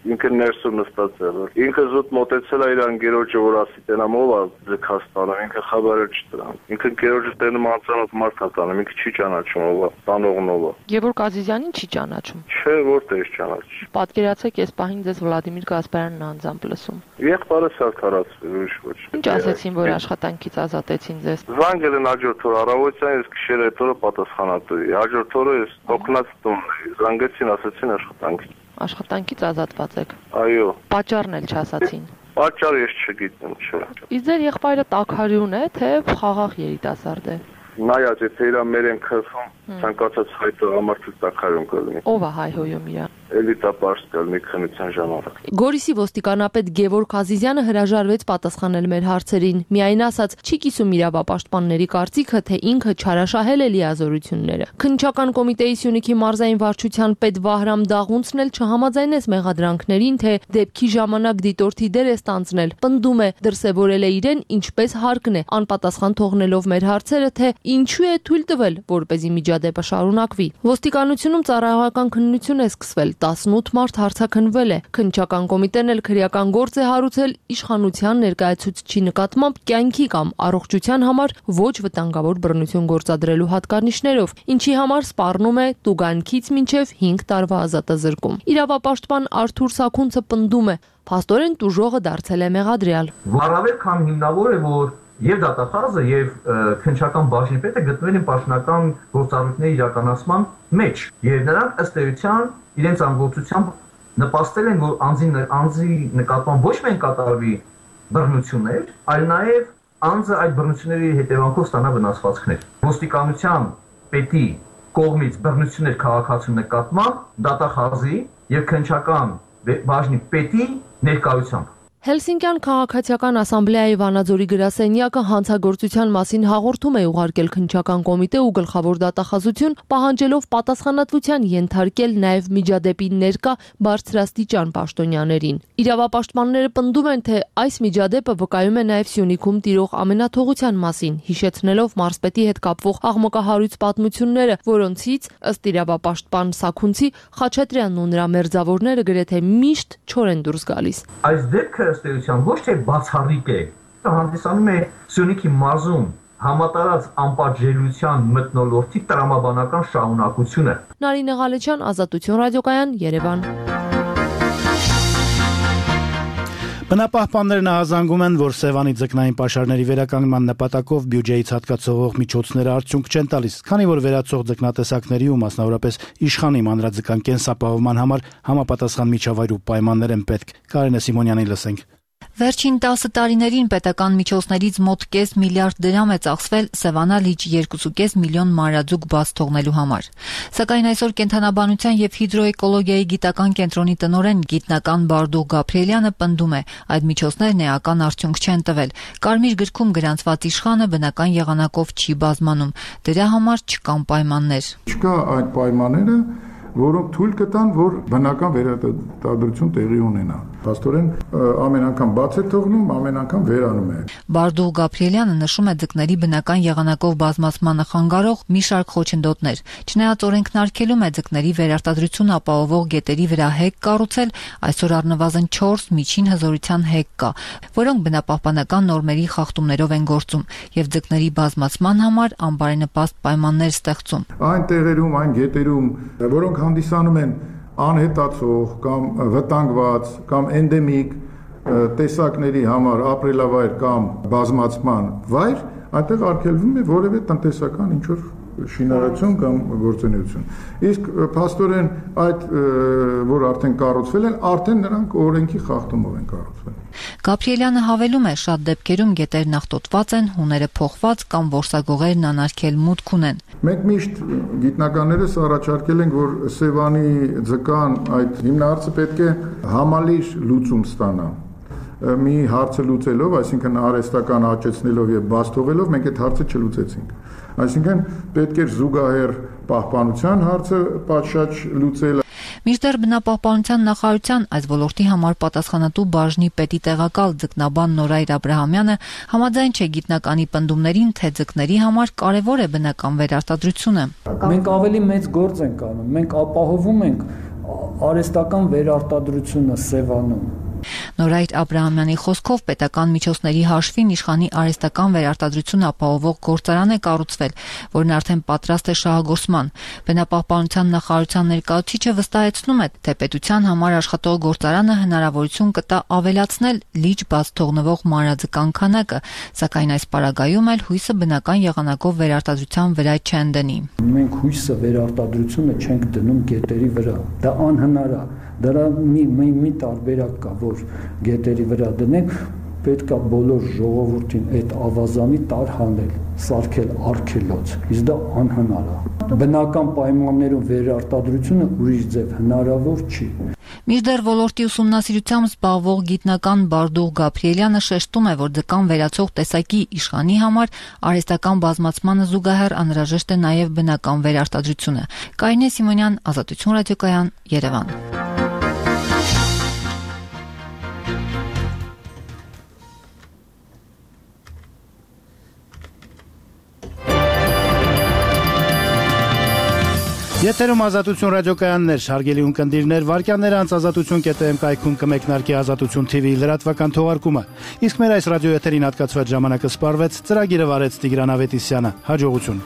ինքը ներսում նստած եղել։ Ինքը զուտ մոտեցել է իր անգերոջը, որ ասի տենամ ով է ձգած տանում, ինքը խաբարը չտրան։ Ինքը անգերոջը տենում անծանոթ մարդ է տանում, ինքը չի ճանաչում ով է, տանողն ով է։ Գևորգ Ազիզյանին չի ճանաչում։ Չէ, որտեղ ճանաչի։ Պատկերացեք, այս պահին ձեզ Վլադիմիր Գասպարյանն անձամբ լսում։ Եղբայրը սարքարացվել, ուրիշ ոչ։ Ինչ ասեցին, որ աշխատանքից ազատեցին ձեզ։ Զանգել են հաջորդ օրը առավոտյան, ես գիշերը այդ օրը պատասխանատու էի։ Հաջորդ օրը ես հոգնած տուն էի։ Զանգեցին, ասեցին աշխատանքի։ Աշխատանքից ազատված եք։ Այո։ Պատճառն էլ չասացին։ Պատճառ ես չգիտեմ, չէ։ Իսկ ձեր եղբայրը տաքարյուն է, թե խաղաղ երիտասարդ է։ Նայած, եթե իրա մեր են քրխում, ցանկացած հայտը ամարտի տաքարյուն կլինի։ Ով է հայհոյում իրան։ Էլիտապարս կլինի քննության ժամանակ։ Գորիսի ոստիկանապետ Գևորգ Ազիզյանը հրաժարվեց պատասխանել մեր հարցերին։ Միայն ասաց, չի կիսում իրավապաշտպանների կարծիքը, թե ինքը չարաշահել է լիազորությունները։ Քննչական կոմիտեի Սյունիքի մարզային վարչության պետ Վահրամ Դաղունցն էլ չհամաձայնեց մեղադրանքներին, թե դեպքի ժամանակ դիտորդի դեր է ստանձնել։ Պնդում է, դրսևորել է իրեն ինչպես հարկն է, անպատասխան թողնելով մեր հարցերը, թե ինչու է թույլ տվել, որպեսզի միջադեպը շարունակվի։ Ոստիկանությունում ծառայողական քննություն է սկսվել, 18 մարդ հարցաքննվել է։ Քննչական կոմիտեն էլ քրեական գործ է հարուցել իշխանության ներկայացուցչի նկատմամբ կյանքի կամ առողջության համար ոչ վտանգավոր բռնություն գործադրելու հատկանիշներով, ինչի համար սպառնում է տուգանքից մինչև 5 տարվա ազատազրկում։ Իրավապաշտպան Արթուր Սաքունցը պնդում է, փաստորեն տուժողը դարձել է մեղադրյալ։ Առավել քան հիմնավոր է, որ եւ դատախազը եւ քննչական բաժնի պետը գտնվել են պաշտոնական գործառույթների իրականացման մեջ եւ նրանք ըստ էության իրենց անգործությամբ նպաստել են, որ անձի նկատմամբ ոչ միայն կատարվի բռնություններ, այլ նաեւ անձը այդ բռնությունների հետևանքով ստանա վնասվածքներ։ Ոստիկանության պետի կողմից բռնություններ քաղաքացու նկատմամբ դատախազի եւ քննչական բաժնի պետի ներկայությամբ Հելսինկյան քաղաքացիական ասամբլեայի Վանաձորի գրասենյակը հանցագործության մասին հաղորդում է ուղարկել քննչական կոմիտե ու գլխավոր դատախազություն, պահանջելով պատասխանատվության ենթարկել նաև միջադեպի ներկա բարձրաստիճան պաշտոնյաներին։ Իրավապաշտպանները պնդում են, թե այս միջադեպը վկայում է նաև Սյունիքում տիրող ամենաթողության մասին, հիշեցնելով մարզպետի հետ կապվող աղմկահարույց պատմությունները, որոնցից ըստ իրավապաշտպան Սաքունցի Խաչատրյանն ու նրա մերձավորները գրեթե միշտ չոր են դուրս գալիս։ Այս դեպքը ըստ էության ոչ թե բացառիկ է, հանդիսանում է Սյունիքի մարզում համատարած անպատժելիության մթնոլորտի տրամաբանական շարունակությունը։ Նարինե Ղալեչյան, Ազատություն ռադիոկայան, Երևան։ Բնապահպաններն ահազանգում են, որ Սևանի ձկնային պաշարների վերականգնման նպատակով բյուջեից հատկացող միջոցները արդյունք չեն տալիս, քանի որ վերացող ձկնատեսակների ու մասնավորապես իշխանի մանրաձկան կենսապահովման համար համապատասխան միջավայր ու պայմաններ են պետք։ Կարինե Սիմոնյանին լսենք։ Վերջին 10 տարիներին պետական միջոցներից մոտ կես միլիարդ դրամ է ծախսվել Սևանա լիճ 2.5 միլիոն մանրաձուկ բաց թողնելու համար։ Սակայն այսօր կենդանաբանության եւ հիդրոէկոլոգիայի գիտական կենտրոնի տնօրեն գիտնական Բարդուղ Գաբրիելյանը պնդում է, այդ միջոցներն էական արդյունք չեն տվել։ Կարմիր գրքում գրանցված իշխանը բնական եղանակով չի բազմանում։ Դրա համար չկան պայմաններ։ Չկա այդ պայմանները, որոնք թույլ կտան, որ բնական վերարտադրություն տեղի ունենա։ Փաստորեն ամեն անգամ բաց է թողնում, ամեն անգամ վերանում է։ Բարդուղ Գաբրիելյանը նշում է ձկների բնական եղանակով բազմացմանը խանգարող մի շարք խոչընդոտներ։ Չնայած օրենքն արգելում է ձկների վերարտադրություն ապահովող գետերի վրա հեկ կառուցել, այսօր առնվազն 4 միջին հզորության հեկ կա, որոնք բնապահպանական նորմերի խախտումներով են գործում եւ ձկների բազմացման համար անբարենպաստ պայմաններ ստեղծում։ Այն տեղերում, այն գետերում, որոնք հանդիսանում են անհետացող կամ վտանգված կամ էնդեմիկ տեսակների համար ապրելավայր կամ բազմացման վայր, այնտեղ արգելվում է որևէ տնտեսական ինչ-որ շինարարություն կամ գործունեություն։ Իսկ փաստորեն այդ որ արդեն կառուցվել են, արդեն նրանք օրենքի խախտումով են կառուցվել։ Գաբրիելյանը հավելում է, շատ դեպքերում գետերն աղտոտված են, հուները փոխված կամ որսագողերն անարգել մուտք ունեն։ Մենք միշտ գիտնականներս առաջարկել ենք, որ Սևանի ձկան այդ հիմնահարցը պետք է համալիր լուծում ստանա։ Մի հարցը լուծելով, այսինքն արհեստական աճեցնելով եւ բաց թողելով, մենք այդ հարցը չլուծեցինք։ Այսինքն պետք էր զուգահեռ պահպանության հարցը պատշաճ լուծել։ Մինչդեռ բնապահպանության նախարարության այս ոլորտի համար պատասխանատու բաժնի պետի տեղակալ ձկնաբան Նորայր Աբրահամյանը համաձայն չէ գիտնականի պնդումներին, թե ձկների համար կարևոր է բնական վերարտադրությունը։ Մենք ավելի մեծ գործ ենք անում, մենք ապահովում ենք արհեստական վերարտադրությունը Սևանում։ Նորայր Աբրահամյանի խոսքով պետական միջոցների հաշվին իշխանի արհեստական վերարտադրություն ապահովող գործարան է կառուցվել, որն արդեն պատրաստ է շահագործման։ Բնապահպանության նախարարության ներկայացուցիչը վստահեցնում է, թե պետության համար աշխատող գործարանը հնարավորություն կտա ավելացնել լիճ բաց թողնվող մանրաձկան քանակը, սակայն այս պարագայում էլ հույսը բնական եղանակով վերարտադրության վրա չեն դնի։ Մենք հույսը վերարտադրությունը չենք դնում գետերի վրա։ Դա անհնար է։ Դրա մի տարբերակ կա, որ գետերի վրա դնենք, պետք է բոլոր ժողովրդին այդ ավազանի տարհանել, սարքել արգելոց, իսկ դա անհնար է։ Բնական պայմաններում վերարտադրությունը ուրիշ ձև հնարավոր չի։ Մինչդեռ ոլորտի ուսումնասիրությամբ զբաղվող գիտնական Բարդուղ Գաբրիելյանը շեշտում է, որ ձկան վերացող տեսակի իշխանի համար արհեստական բազմացմանը զուգահեռ անհրաժեշտ է նաև բնական վերարտադրությունը։ Կարինե Սիմոնյան, Ազատություն ռադիոկայան, Երևան։ Եթերում Ազատություն ռադիոկայաններ, հարգելի ունկնդիրներ, վարքյանները անց ազատություն.am կայքում կմեկնարկի Ազատություն TV լրատվական թողարկումը։ Իսկ մեր այս ռադիոեթերին հատկացված ժամանակը սպառվեց, ծրագիրը վարեց Տիգրան Ավետիսյանը։ Հաջողություն։